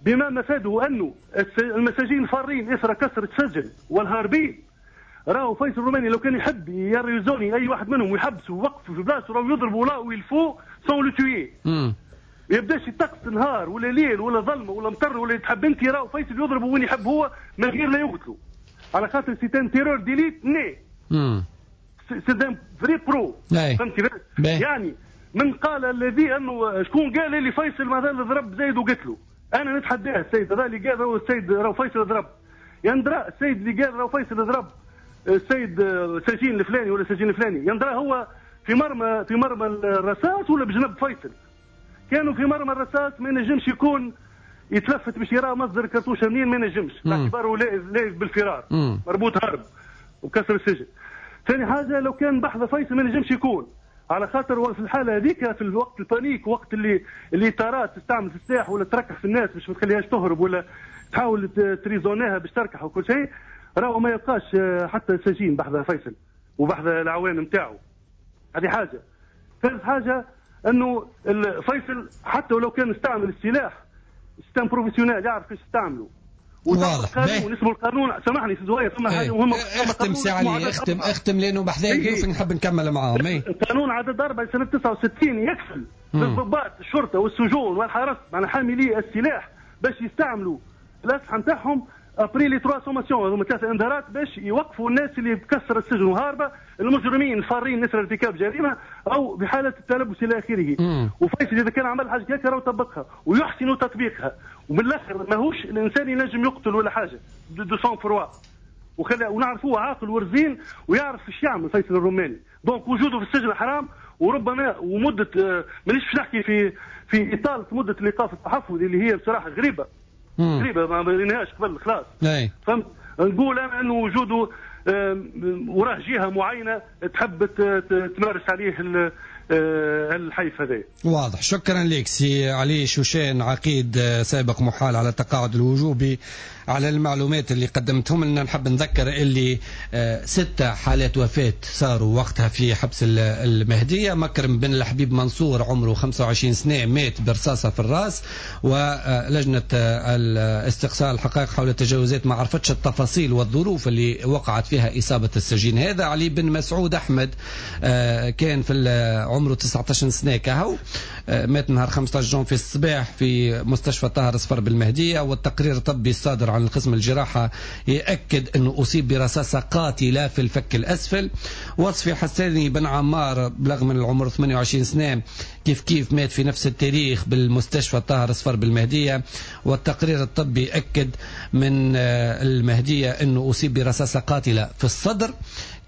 بما مفاده انه المساجين الفارين اثر كسر السجن والهاربين، راهو فيصل الروماني لو كان يحب ي raisonner اي واحد منهم ويحبسه ويوقفه في بلاصته راهو يضربوا لا ويلفو sans le tuer. ما يبداش الطقس نهار ولا ليل ولا ظلمه ولا مطر ولا تحب انت، راهو فيصل يضربه وين يحب هو من غير لا يقتلوا، على خاطر c'est un tireur d'élite né، c'est un vrai pro. فهمتي؟ يعني من قال الذي انه شكون قال اللي فيصل مثلا ضرب زايد وقتله؟ انا نتحداه السيد هذا اللي قال راهو السيد راهو فيصل ضرب، يندرى السيد اللي قال راهو فيصل ضرب السيد سجين الفلاني ولا سجين الفلاني، يندرى هو في مرمى في مرمى الرصاص ولا بجنب فيصل. كانوا في مرمى الرصاص ما ينجمش يكون يتلفت باش يرى مصدر الكرتوشه منين، ما ينجمش باعتباره لايف بالفرار، مم. مربوط هرب وكسر السجن. ثاني حاجة لو كان بحذا فيصل ما ينجمش يكون، على خاطر في الحالة هذيك في الوقت ال panique، وقت اللي اللي طارات تستعمل في السلاح ولا تركح في الناس باش ما تخليهاش تهرب ولا تحاول تريزونيها باش تركح وكل شيء، راهو ما يلقاش حتى سجين بحذا فيصل وبحذا العوان نتاعو. هذه حاجة. ثالث حاجة انه فيصل حتى ولو كان استعمل السلاح c'est un professionnel، يعرف كيفاش يستعمله. واضح. القانون اسمه القانون، سامحني سي زهير ثم حاجة مهمة. اختم سي علي، اختم اختم لانه بحذايا ضيوف نحب نكمل معاهم. القانون عدد أربعة سنة تسعة وستين يكفل للضباط الشرطة والسجون والحرس معناها حاملي السلاح باش يستعملوا الاسلحة نتاعهم après les trois sommations، هذوما ثلاثة انذارات باش يوقفوا الناس اللي تكسر السجن وهاربه، المجرمين الفارين نسر ارتكاب جريمة او بحاله التلبس الى اخره. وفيصل اذا كان عمل حاجة هكا راهو طبقها ويحسن تطبيقها، ومن الاخر ماهوش الانسان ينجم يقتل ولا حاجة de sang-froid، وخلي ونعرفوه عاقل ورزين ويعرف ايش يعمل فيصل الروماني. donc وجوده في السجن حرام، وربما ومده مانيش باش نحكي في في اطاله مده الايقاف التحفظي اللي هي بصراحة غريبة غريبة ما بيناهاش قبل خلاص. فهمت؟ نقول انا انه وجوده وراه جهة معينة تحب تمارس عليه الحيف هذا. واضح. شكرا لك سي علي شوشان، عقيد سابق محال على التقاعد الوجوبي، على المعلومات اللي قدمتهم لنا. نحب نذكر اللي ستة حالات وفاة صاروا وقتها في حبس المهدية. مكرم بن الحبيب منصور عمره خمسة وعشرين سنة مات برصاصة في الراس، ولجنة الاستقصاء الحقائق حول التجاوزات ما عرفتش التفاصيل والظروف اللي وقعت فيها إصابة السجين هذا. علي بن مسعود أحمد كان في عمره تسعة عشر سنة كهو، مات نهار خمسة عشر جون في الصباح في مستشفى طاهر صفر بالمهدية، والتقرير الطبي الصادر عن قسم الجراحة يأكد أنه أصيب برصاصة قاتلة في الفك الأسفل. وصفي حساني بن عمار بلغ من العمر ثمانية وعشرين سنة كيف كيف مات في نفس التاريخ بالمستشفى طاهر صفر بالمهدية، والتقرير الطبي أكد من المهدية أنه أصيب برصاصة قاتلة في الصدر.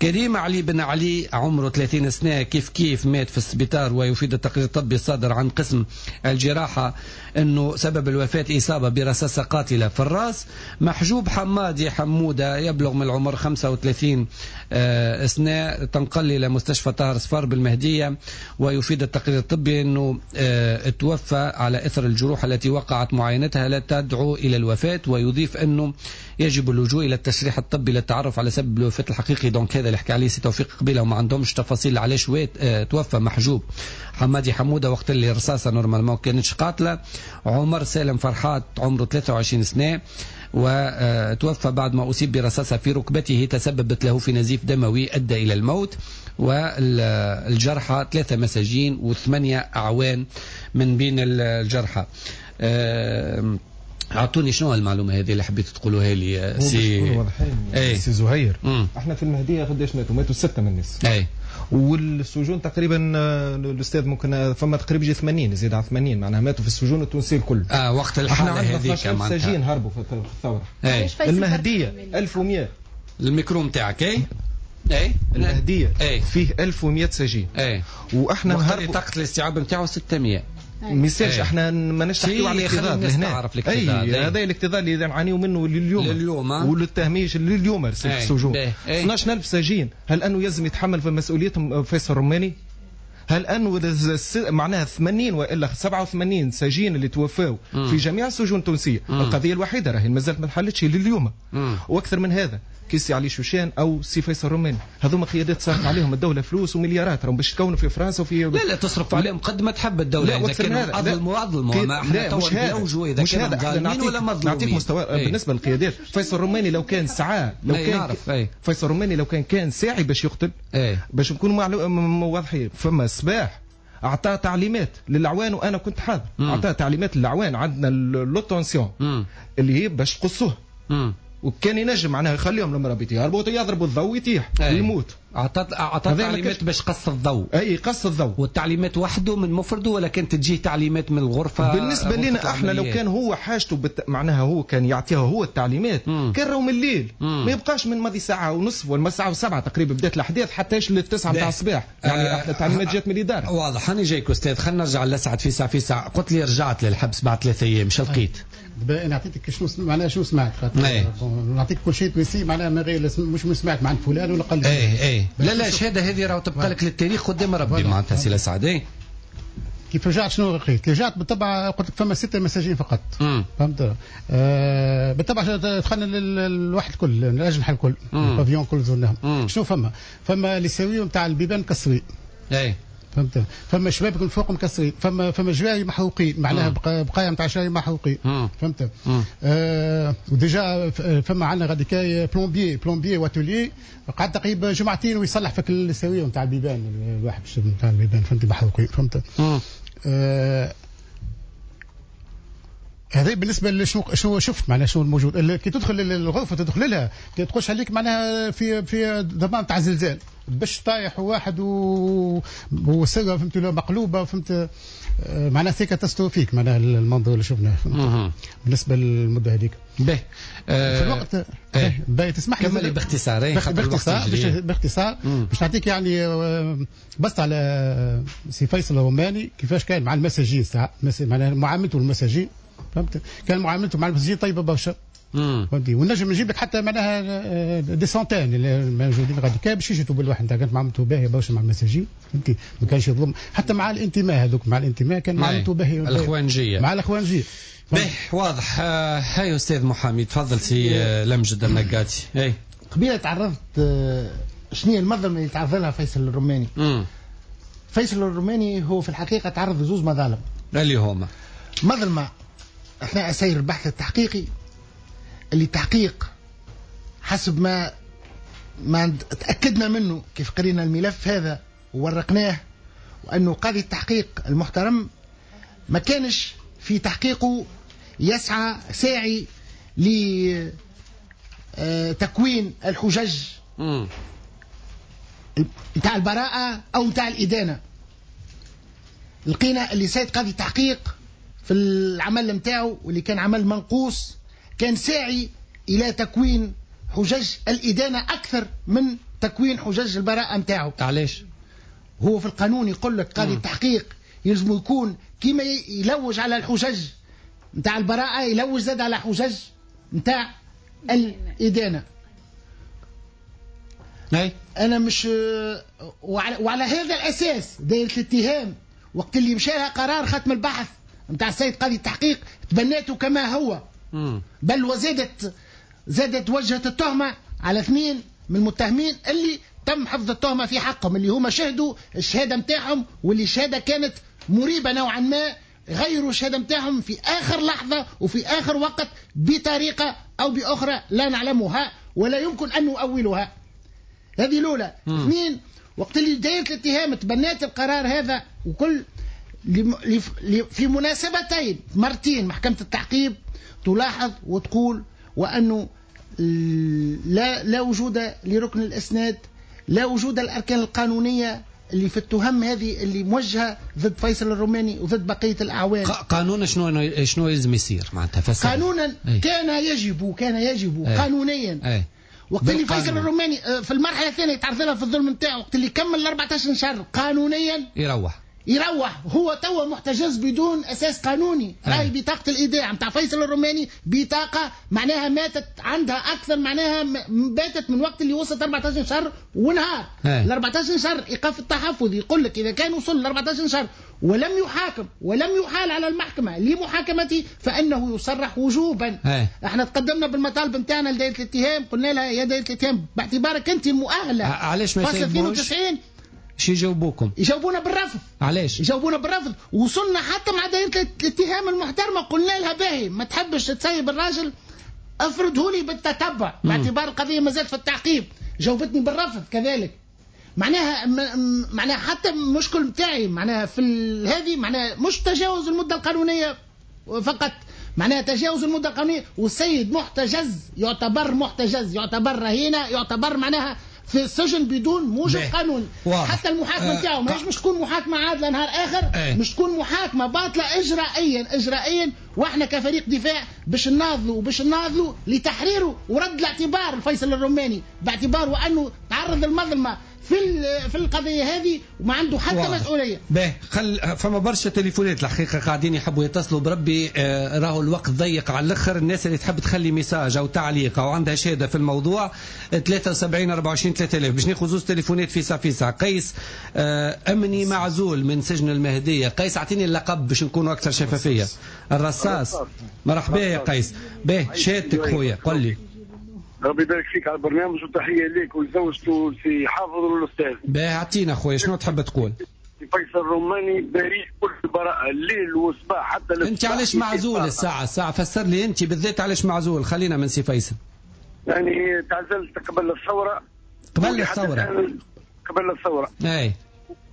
كريم علي بن علي عمره ثلاثين سنة كيف كيف مات في السبيطار، ويفيد التقرير الطبي الصادر عن قسم الجراحة أنه سبب الوفاة إصابة برصاصة قاتلة في الرأس. محجوب حمادي حمودة يبلغ من العمر خمسة وثلاثين سنة تنقل إلى مستشفى طاهر صفار بالمهدية، ويفيد التقرير الطبي أنه توفى على إثر الجروح التي وقعت معاينتها لا تدعو إلى الوفاة، ويضيف أنه يجب اللجوء إلى التشريح الطبي للتعرف على سبب الوفاة الحقيقي. donc هذا اللي حكى عليه سي توفيق قبيلة وما عندهمش تفاصيل علاش توفى محجوب حمادي حمودة وقت اللي الرصاصة normalement كانتش قاتلة. عمر سالم فرحات عمره ثلاثة وعشرين سنة وتوفى بعد ما أصيب برصاصة في ركبته تسببت له في نزيف دموي أدى إلى الموت. والجرحى ثلاثة مساجين وثمانية أعوان من بين الجرحى. أعطوني شنو المعلومة هذه اللي حبيت تقولوها لي سي اي سي زهير؟ مم. احنا في المهدية قداش ماتوا؟ ماتوا ستة من الناس. اي والسجون تقريبا الاستاذ ممكن فما تقريبا يجي ثمانين، زيد على ثمانين معناها ماتوا في السجون التونسية الكل. اه وقت الحالة هذيك معناها سجين هربوا في الثورة. أي. المهدية ألف ومئة. الميكرو نتاعك اي اي المهدية أي. فيه ألف ومئة سجين. اي واحنا هربوا طاقة الاستيعاب نتاعو ستمئة. ما يصيرش احنا ماناش نحكيو على الاكتظاظ هنا. اي هذا الاكتظاظ اللي نعانيو منه لليوم لليوم وللتهميش لليوم في السجون. اثناش ألف سجين، هل انه يلزم يتحمل في مسؤوليتهم فيصل الرماني؟ هل انه معناها ثمانين والا سبعة وثمانين سجين اللي توفاو في جميع السجون التونسية؟ مم. القضية الوحيدة راهي مازالت ما تحلتش لليوم. مم. واكثر من هذا كي سي علي شوشان او سي فيصل الروماني، هذوما قيادات صرفت عليهم الدولة فلوس ومليارات، راهم باش تكونوا في فرنسا وفي لا لا تصرف عليهم قد ما تحب الدولة. اذا كانوا اظلموا اظلموا، ما احنا تو نلوجوا اذا كانوا ظالمين ولا مظلومين. نعطيك مستوى ايه. بالنسبة للقيادات فيصل الروماني لو كان سعى لو كان نعرف. ايه. فيصل الروماني لو كان كان ساعي باش يقتل ايه. باش نكونوا واضحين، فما صباح اعطاه تعليمات للعوان وانا كنت حاضر، اعطاه تعليمات للعوان عندنا l'haute tension اللي هي باش تقصوه، وكان ينجم معناها يخليهم المرابط يهربوا يضربوا الضوء يطيح ويموت. اعطت اعطت تعليمات باش قص الضوء. اي قص الضوء. والتعليمات وحده من مفرده ولا كانت تجيه تعليمات من الغرفة؟ بالنسبة لنا احنا لو كان هو حاجته بت... معناها هو كان يعطيها هو التعليمات مم. كان راهو من الليل مم. ما يبقاش من ماضي ساعة ونصف ولا ساعة وسبعة تقريبا بدات الاحداث حتى للتسعه نتاع الصباح يعني آه احنا التعليمات جات من الادارة. واضح. انا جايك استاذ، خلينا نرجع لسعد في ساعة في ساعة. قلت لي رجعت للحبس بعد ثلاثة ايام، شو لقيت؟ دابا انا عطيتك شنو معناها شنو سمعت، خاطر نعطيك كل شيء précis معناها من غير مش سمعت مع فلان ولا قال لي. اي اي لا لا الشهادة هذه راهو تبقى لك للتاريخ قدام ربي معناتها سي لسعد. اي كيف رجعت شنو لقيت؟ رجعت بالطبع قلت لك فما ستة مساجين فقط. فهمت؟ آه بالطبع دخلنا للواحد الكل، الاجنحة الكل، ال pavillon الكل زرناهم. شنو فما؟ فما les serrures نتاع البيبان مكسرين. اي فهمت؟ فما شبابك من فوق مكسرين، فما فما جواي محروقين، معناها بقايا نتاع شاي محروقين. فهمت؟ آه و déjà فما عندنا غاديكاي plombier plombier و tôlier قعد تقريبا جمعتين ويصلح فك ال serrures نتاع البيبان الواحد نتاع البيبان، فهمت؟ محروقين. فهمت؟ آه هذا بالنسبة لشنو شنو شفت معناها شنو الموجود. كي تدخل للغرفة تدخل لها تخش عليك معناها في في ضمان تاع زلزال باش طايح واحد و وسره فهمت مقلوبة، فهمت؟ معناها c'est catastrophique معناها المنظر اللي شفناه بالنسبة للمدة هذيك. باهي آه في الوقت باهي تسمح لي كملي باختصار. باختصار باختصار باش نعطيك يعني بس على سي فيصل الروماني كيفاش كان مع المساجين ساعة معناها معاملته للمساجين، فهمت؟ كان معاملته مع المساجين طيبة برشا. فهمتي؟ ونجم نجيب لك حتى معناها des centaines اللي موجودين غادي كان باش يجوا بالواحد كانت معاملته باهيه برشا مع المساجين، فهمتي؟ ما كانش يظلم حتى مع الانتماء هذوك، مع الانتماء كان معاملته باهيه. الاخوانجيه مع الاخوانجيه. باهي واضح. آه هاي استاذ محامي تفضل سي آه لمجد النقاتي. اي قبيلة تعرضت آه شنو هي المظلمة اللي تعرض لها فيصل الروماني؟ مم. فيصل الروماني هو في الحقيقة تعرض لزوز مظالم. اللي هما مظلمة اثناء سير البحث التحقيقي، اللي تحقيق حسب ما ما تأكدنا منه كيف قرينا الملف هذا وورقناه، وأنه قاضي التحقيق المحترم ما كانش في تحقيقه يسعى ساعي لتكوين الحجج نتاع البراءة أو نتاع الإدانة. لقينا اللي سيد قاضي التحقيق في العمل نتاعو واللي كان عمل منقوص كان ساعي إلى تكوين حجج الإدانة أكثر من تكوين حجج البراءة نتاعو. علاش؟ هو في القانون يقول لك قاضي التحقيق يلزم يكون كيما يلوج على الحجج نتاع البراءة يلوج زاد على حجج نتاع الإدانة. أي أنا مش وعلى, وعلى هذا الأساس دائرة الاتهام وقت اللي مشى لها قرار ختم البحث نتاع السيد قاضي التحقيق تبناته كما هو. مم. بل وزادت زادت وجهت التهمة على اثنين من المتهمين اللي تم حفظ التهمة في حقهم، اللي هما شهدوا الشهادة نتاعهم واللي الشهادة كانت مريبة نوعا ما، غيروا الشهادة نتاعهم في آخر لحظة وفي آخر وقت بطريقة أو بأخرى لا نعلمها ولا يمكن أن نؤولها. هذه الأولى. اثنين، وقت اللي دائرة الاتهام تبنات القرار هذا وكل في مناسبتين مرتين محكمة التعقيب تلاحظ وتقول وأنه لا لا وجود لركن الإسناد، لا وجود الأركان القانونية اللي في التهم هذه اللي موجهة ضد فيصل الروماني وضد بقية الأعوان. قانونا شنو شنو لازم يصير معناتها؟ قانونا أي. كان يجب كان يجب أي. قانونيا أي. وقت اللي فيصل الروماني في المرحلة الثانية تعرض لها في الظلم نتاعو، وقت اللي كمل ال أربعة عشر شهر قانونيا يروح يروح هو توا محتجز بدون اساس قانوني. راهي بطاقة الايداع نتاع فيصل الروماني بطاقة معناها ماتت عندها اكثر، معناها باتت من وقت اللي وصلت أربعة عشر شهر ونهار. ال أربعة عشر شهر ايقاف التحفظ يقول لك اذا كان وصل ل أربعة عشر شهر ولم يحاكم ولم يحال على المحكمة لمحاكمته فانه يصرح وجوبا. هاي. احنا تقدمنا بالمطالب نتاعنا لدائره الاتهام، قلنا لها يا دائرة الاتهام باعتبارك انت المؤهله. علاش ما فصل اثنين وتسعين شي يجاوبوكم؟ يجاوبونا بالرفض. علاش؟ يجاوبونا بالرفض. وصلنا حتى مع دائرة الاتهام المحترمة قلنا لها باهي ما تحبش تسيب الراجل افرضه لي بالتتبع باعتبار القضية ما زالت في التعقيب، جاوبتني بالرفض كذلك. معناها معناها حتى المشكل نتاعي معناها في هذه معناها مش تجاوز المدة القانونية فقط، معناها تجاوز المدة القانونية والسيد محتجز، يعتبر محتجز، يعتبر رهينة، يعتبر معناها في السجن بدون موجب قانوني. حتى المحاكمة نتاعو ماهيش مش تكون محاكمة عادلة نهار اخر، ايه. مش تكون محاكمة باطله اجرائيا اجرائيا، واحنا كفريق دفاع باش نناضلوا وباش نناضلوا لتحريره ورد الاعتبار الفيصل الرماني باعتباره انه تعرض للمظلمه في في القضية هذه وما عنده حتى واضح. مسؤولية. باهي خل فما برشا تليفونات الحقيقة قاعدين يحبوا يتصلوا بربي، آه راهو الوقت ضيق على الاخر. الناس اللي تحب تخلي message او تعليق او عندها شهادة في الموضوع ثلاثة وسبعين أربعة وعشرين ثلاثة آلاف باش ناخذ زوز تليفونات في ساعة في ساعة. قيس آه امني معزول من سجن المهدية. قيس اعطيني اللقب باش نكونوا اكثر شفافية. الرصاص. مرحبا يا قيس. باهي شهادتك خويا قل لي. ربي يبارك فيك على البرنامج وتحية ليك ولزوجته سي حافظ والاستاذ. باهي اعطينا خويا شنو تحب تقول؟ فيصل الرماني بريء كل براءه الليل والصباح حتى انت علاش معزول الساعة الساعة فسر لي انت بالذات علاش معزول. خلينا من سي فيصل. يعني تعزلت قبل الثورة. قبل الثورة. قبل الثورة. اي.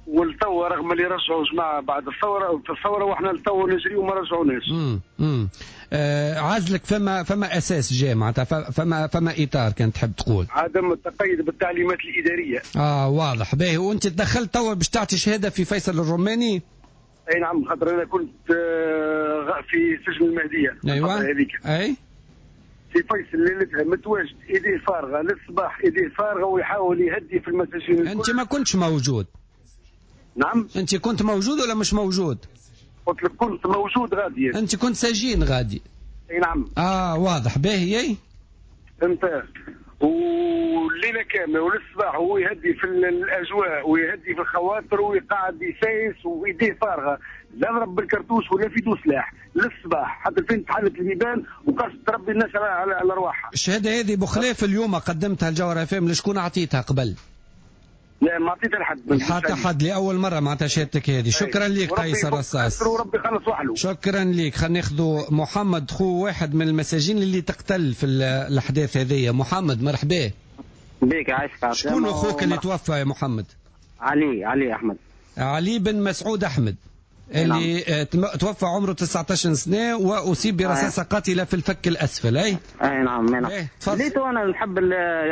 والتو رغم اللي رجعوا جماعة بعد الثورة في الثورة واحنا التو نجري وما رجعوناش. امم امم آه عزلك فما فما اساس جاء معناتها فما فما اطار كان تحب تقول. عدم التقيد بالتعليمات الادارية. اه واضح. باهي وانت تدخلت توا باش تعطي شهادة في فيصل الرماني؟ اي نعم، خاطر انا كنت في سجن المهدية. ايوه هذيك. اي في فيصل ليلتها متواجد ايديه فارغة للصباح، ايديه فارغة ويحاول يهدي في المساجين. انت ما كنتش موجود؟ نعم. انت كنت موجود ولا مش موجود؟ قلت لك كنت موجود غادي. انت كنت سجين غادي؟ اي نعم. اه واضح. باهي. فهمت. والليلة كاملة وللصباح هو يهدي في الاجواء ويهدي في الخواطر ويقعد يسايس وايديه فارغة، لا ضرب بالكرتوش ولا في دو سلاح للصباح حتى فين تحلت البيبان وقصت ربي الناس على على ارواحها. الشهادة هذه بخلاف اليوم قدمتها الجوهرة اف ام، لشكون اعطيتها قبل؟ لا ما عطيتها لحد. حتى حد لاول مرة معناتها شهادتك هذه. شكرا لك قيس الرصاص. وربي يخلص وحله. شكرا لك. خلينا ناخذوا محمد خو واحد من المساجين اللي تقتل في الاحداث هذه. محمد مرحبا بك. عايشك. شكون اخوك اللي توفى يا محمد؟ علي علي احمد. علي بن مسعود احمد اللي توفى عمره تسعة عشر سنة واصيب برصاصه قاتله في الفك الاسفل. اي اي نعم نعم. ليتو انا نحب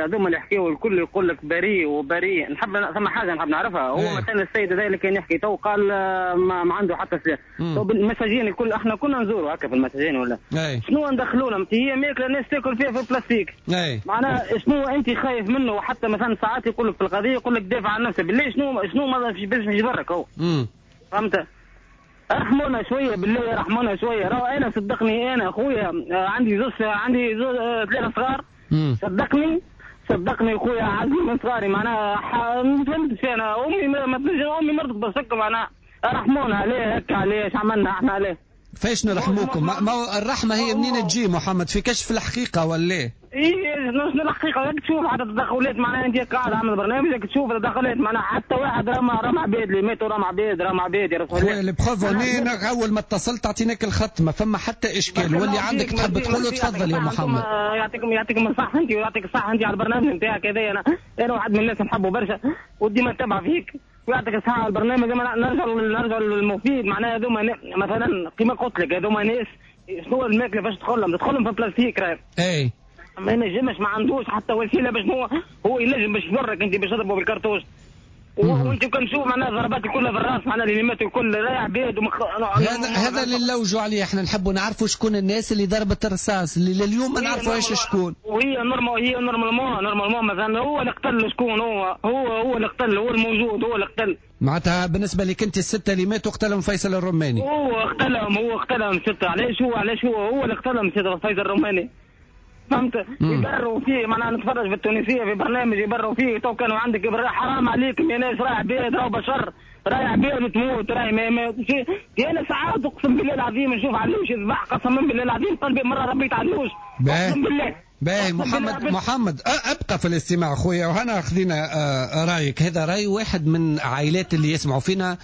هذوما اللي يحكيوا الكل يقول لك بريء وبريء، نحب ثم حاجة نحب نعرفها. هو مثلا السيد هذا اللي كان يحكي تو قال ما, ما عنده حتى سلاح. تو المساجين الكل احنا كنا نزوروا هكا في المساجين ولا أي. شنو ندخلوا لهم؟ هي ماكله الناس تاكل فيها في البلاستيك. اي معناها شنو انت خايف منه؟ وحتى مثلا ساعات يقول لك في القضية يقول لك دافع عن نفسك بالله. شنو شنو ما باش يضرك هو؟ فهمت؟ رحمونا شوية بالله، رحمونا شوية. راهو انا صدقني انا خويا عندي زوج عندي زوج ثلاثة صغار. صدقني صدقني خويا عزيز من صغاري معناها ما فهمتش انا. امي ما امي مرضت بالسكر معناها. رحمونا عليه هكا، علاش عملنا احنا عليه؟ فاش نرحموكم؟ ما الرحمة هي منين تجي محمد؟ في كشف الحقيقة ولا ايه؟ ايه شنو الحقيقة؟ راك تشوف عدد التدخلات معناها انت قاعد عامل برنامج تشوف التدخلات معناها حتى واحد رمى رمى عباد اللي ماتوا رمى عباد رمى عباد يا رسول الله. خويا les preuves اول ما اتصلت اعطيناك الخط ما فما حتى اشكال، واللي عندك تحب تقوله تفضل يا محمد. يعطيكم يعطيكم الصحة انت ويعطيك الصحة انت على البرنامج نتاعك هذايا. انا انا واحد من الناس نحبه برشا وديما نتبع فيك ويعطيك الصحة على البرنامج. نرجع نرجع للمفيد معناها هذوما مثلا كيما قلت لك هذوما ناس شنو الماكلة فاش تدخلهم؟ تدخلهم في بلاستيك راهي. اي ما ينجمش، ما عندوش حتى وسيلة باش هو هو ينجم باش يضرك انت باش تضربه بالكرتوش. وانت كان تشوف معناها ضربات الكل في الراس معناها اللي ماتوا الكل راهي عباد ومخ... هذا هذا اللي نلوجوا عليه احنا، نحبوا نعرفوا شكون الناس اللي ضربت الرصاص اللي لليوم ما نعرفوهاش شكون. وهي normal هي normalement normalement مثلا هو اللي قتل شكون؟ هو هو هو اللي قتل، هو الموجود هو اللي قتل. معناتها بالنسبة لك انت الستة اللي ماتوا قتلهم فيصل الرماني. هو قتلهم هو قتلهم ستة. علاش هو علاش هو هو اللي قتلهم ستة فيصل الرماني؟ فهمت؟ يبروا فيه معناها نتفرج في التونسية في برنامج يبروا فيه. تو كانوا عندك حرام عليكم يا ناس، رايح عباد راهو بشر، رايح عباد تموت راهي ما ما انا ساعات اقسم بالله العظيم نشوف علوش يذبح قسما بالله العظيم قلبي مرة ربيت علوش اقسم بالله. باهي محمد محمد ابقى في الاستماع خويا وهنا خذينا رايك. هذا راي واحد من عائلات اللي يسمعوا فينا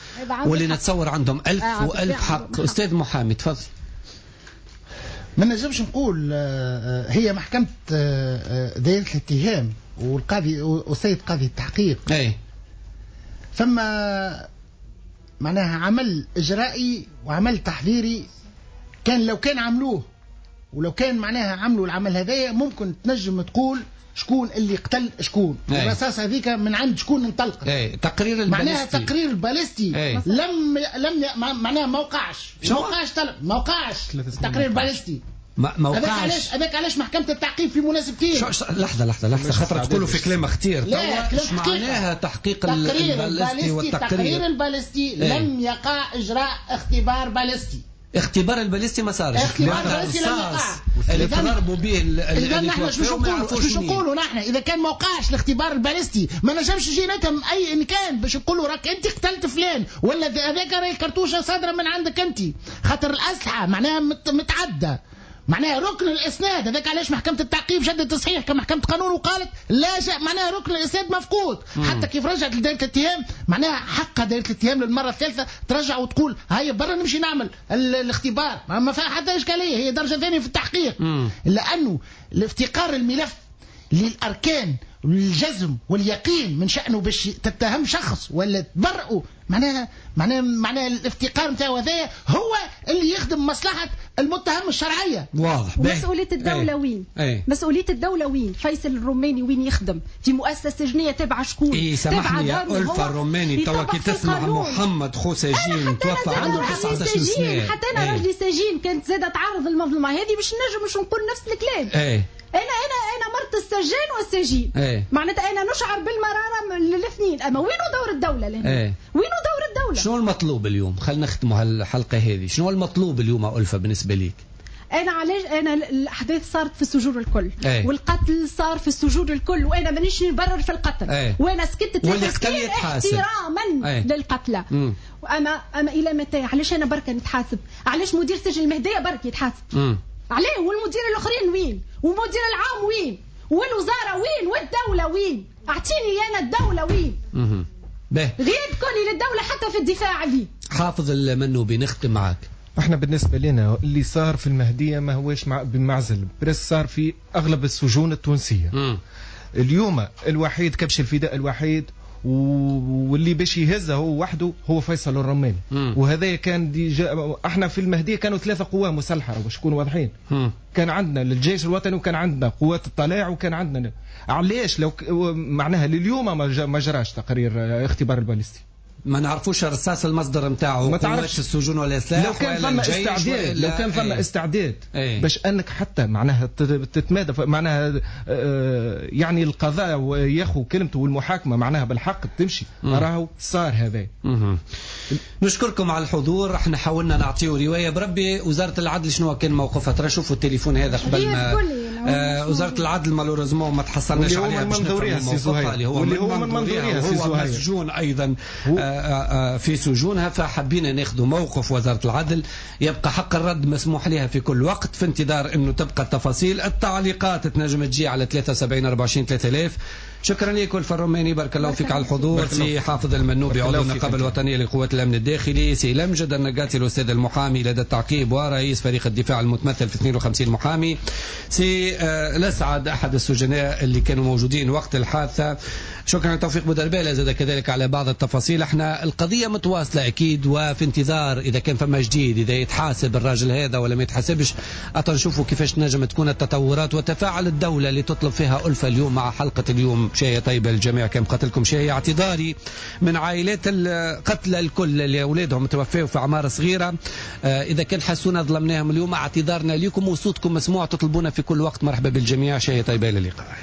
واللي نتصور عندهم ألف وألف حق. استاذ محامي تفضل. ما نجمش نقول هي محكمة دائرة الاتهام والقاضي والسيد قاضي التحقيق. اي فما معناها عمل إجرائي وعمل تحذيري كان لو كان عملوه ولو كان معناها عملوا العمل هذايا ممكن تنجم تقول شكون اللي قتل شكون، الرصاصة هذيك من عند شكون انطلقت. اي تقرير الباليستي، معناها تقرير الباليستي اي. لم لم معناها ما وقعش، ما وقعش طلب، ما وقعش تقرير باليستي، ما وقعش. هذاك علاش هذاك علاش محكمة التعقيب في مناسبتين. لحظة لحظة لحظة، خاطر تقولوا في كلام خطير. لا، معناها تحقيق الباليستي والتقرير، تقرير الباليستي ايه. لم يقع اجراء اختبار باليستي، اختبار الباليستي ما صارش، اختبار الباليستي لم يقع اللي تضربوا به. اذا نحن شو نقولوا شو نقولوا نحن اذا كان ما وقعش الاختبار الباليستي ما نجمش يجي نتهم اي ان كان باش نقولوا راك انت قتلت فلان ولا هذاك راهي الكرتوشه صادرة من عندك انت، خاطر الاسلحة معناها متعددة، معناها ركن الاسناد. هذاك علاش محكمة التعقيب شدت تصحيح كمحكمه قانون وقالت لا شيء، معناها ركن الاسناد مفقود. مم. حتى كيف رجعت لدائره الاتهام معناها حقها دائرة الاتهام للمرة الثالثة ترجع وتقول هيا برا نمشي نعمل الاختبار، ما فيها حتى اشكالية، هي درجه ثانية في التحقيق. مم. لانه الافتقار الملف للاركان والجزم واليقين من شأنه باش تتهم شخص ولا تبرئه، معناها معناها معناها الافتقار نتاعو هذايا هو اللي يخدم مصلحة المتهم الشرعية. واضح. ومسؤولية الدولة ايه. وين؟ ايه. مسؤولية الدولة وين؟ فيصل الروماني وين يخدم؟ في مؤسسة سجنية تابعة شكون؟ اي سامحني يا ألفة الروماني، توا كي تسمع محمد خو سجين توفى عنده تسعطاش سنة، حتى أنا راجلي سجين كانت زادة تعرض المظلمة هذه باش نجم باش نقول نفس الكلام. ايه. انا انا انا مرت السجان والسجين. ايه. معناتها انا نشعر بالمراره للاثنين، اما وينو دور الدولة لهنا؟ ايه. وينو دور الدولة؟ شنو المطلوب اليوم؟ خلينا نختموا هالحلقة هذه، شنو المطلوب اليوم ألفة بالنسبة ليك؟ انا علاش انا الاحداث صارت في السجون الكل. ايه. والقتل صار في السجون الكل، وانا مانيش نبرر في القتل. ايه. وانا سكت ثلاث سنين احتراما ايه. للقتلى. واما اما الى متى؟ علاش انا بركة نتحاسب؟ علاش مدير سجن المهدية برك يتحاسب؟ مم. عليه، والمدير الاخرين وين؟ والمدير العام وين؟ والوزارة وين؟ والدولة وين؟ اعطيني انا الدولة وين؟ اها. باهي. غياب كلي للدولة حتى في الدفاع عليه. حافظ المنوبي نختم معاك. احنا بالنسبة لنا اللي صار في المهدية ما هوش مع بمعزل، بريس صار في اغلب السجون التونسية. مم. اليوم الوحيد كبش الفداء الوحيد واللي باش يهزه هو وحده هو فيصل الرماني. وهذا كان déjà احنا في المهدية كانوا ثلاثة قوى مسلحة باش نكونوا واضحين. مم. كان عندنا الجيش الوطني وكان عندنا قوات الطلاع وكان عندنا، علاش لو معناها لليوم ما جراش تقرير اختبار الباليستي؟ ما نعرفوش الرصاص المصدر نتاعو، ما تعرفش السجون ولا السلاح. لو كان فما استعداد، لو كان فما استعداد ايه. باش انك حتى معناها تتمادى معناها يعني القضاء ياخذ كلمته والمحاكمه معناها بالحق تمشي، راهو صار هذا. نشكركم على الحضور، احنا حاولنا نعطيو رواية. بربي وزارة العدل شنو كان موقفها؟ ترى شوفوا التليفون هذا قبل ما آه وزارة العدل malheureusement ما تحصلناش عليها باش نفهموا موقفها، اللي هو اللي هو من منظورها هو مسجون ايضا في سجونها، فحبينا ناخذ موقف وزارة العدل. يبقى حق الرد مسموح لها في كل وقت، في انتظار انه تبقى التفاصيل. التعليقات تنجم تجي على ثلاثة وسبعين أربعة وعشرين ثلاثة آلاف. شكرا لك ألفة الروماني، بارك الله فيك على الحضور. سي حافظ المنوبي عضو النقابة الوطنية لقوات الأمن الداخلي، سي لمجد النقاتي الأستاذ المحامي لدى التعقيب ورئيس فريق الدفاع المتمثل في اثنين وخمسين محامي، سي الأسعد أحد السجناء اللي كانوا موجودين وقت الحادثة. شكرا توفيق بودربالة زاد كذلك على بعض التفاصيل. احنا القضية متواصلة أكيد، وفي انتظار إذا كان فما جديد، إذا يتحاسب الراجل هذا ولا ما يتحاسبش، نشوفوا كيفاش نجم تكون التطورات وتفاعل الدولة اللي تطلب فيها ألفة اليوم مع حلقة اليوم. شاهية طيبة للجميع، كان قتلكم شاهية. اعتذاري من عائلات القتلى الكل اللي أولادهم توفوا في أعمار صغيرة، إذا كان حسونا ظلمناهم اليوم، اعتذارنا لكم وصوتكم مسموع، تطلبونا في كل وقت. مرحبا بالجميع، شاهية طيبة، إلى اللقاء.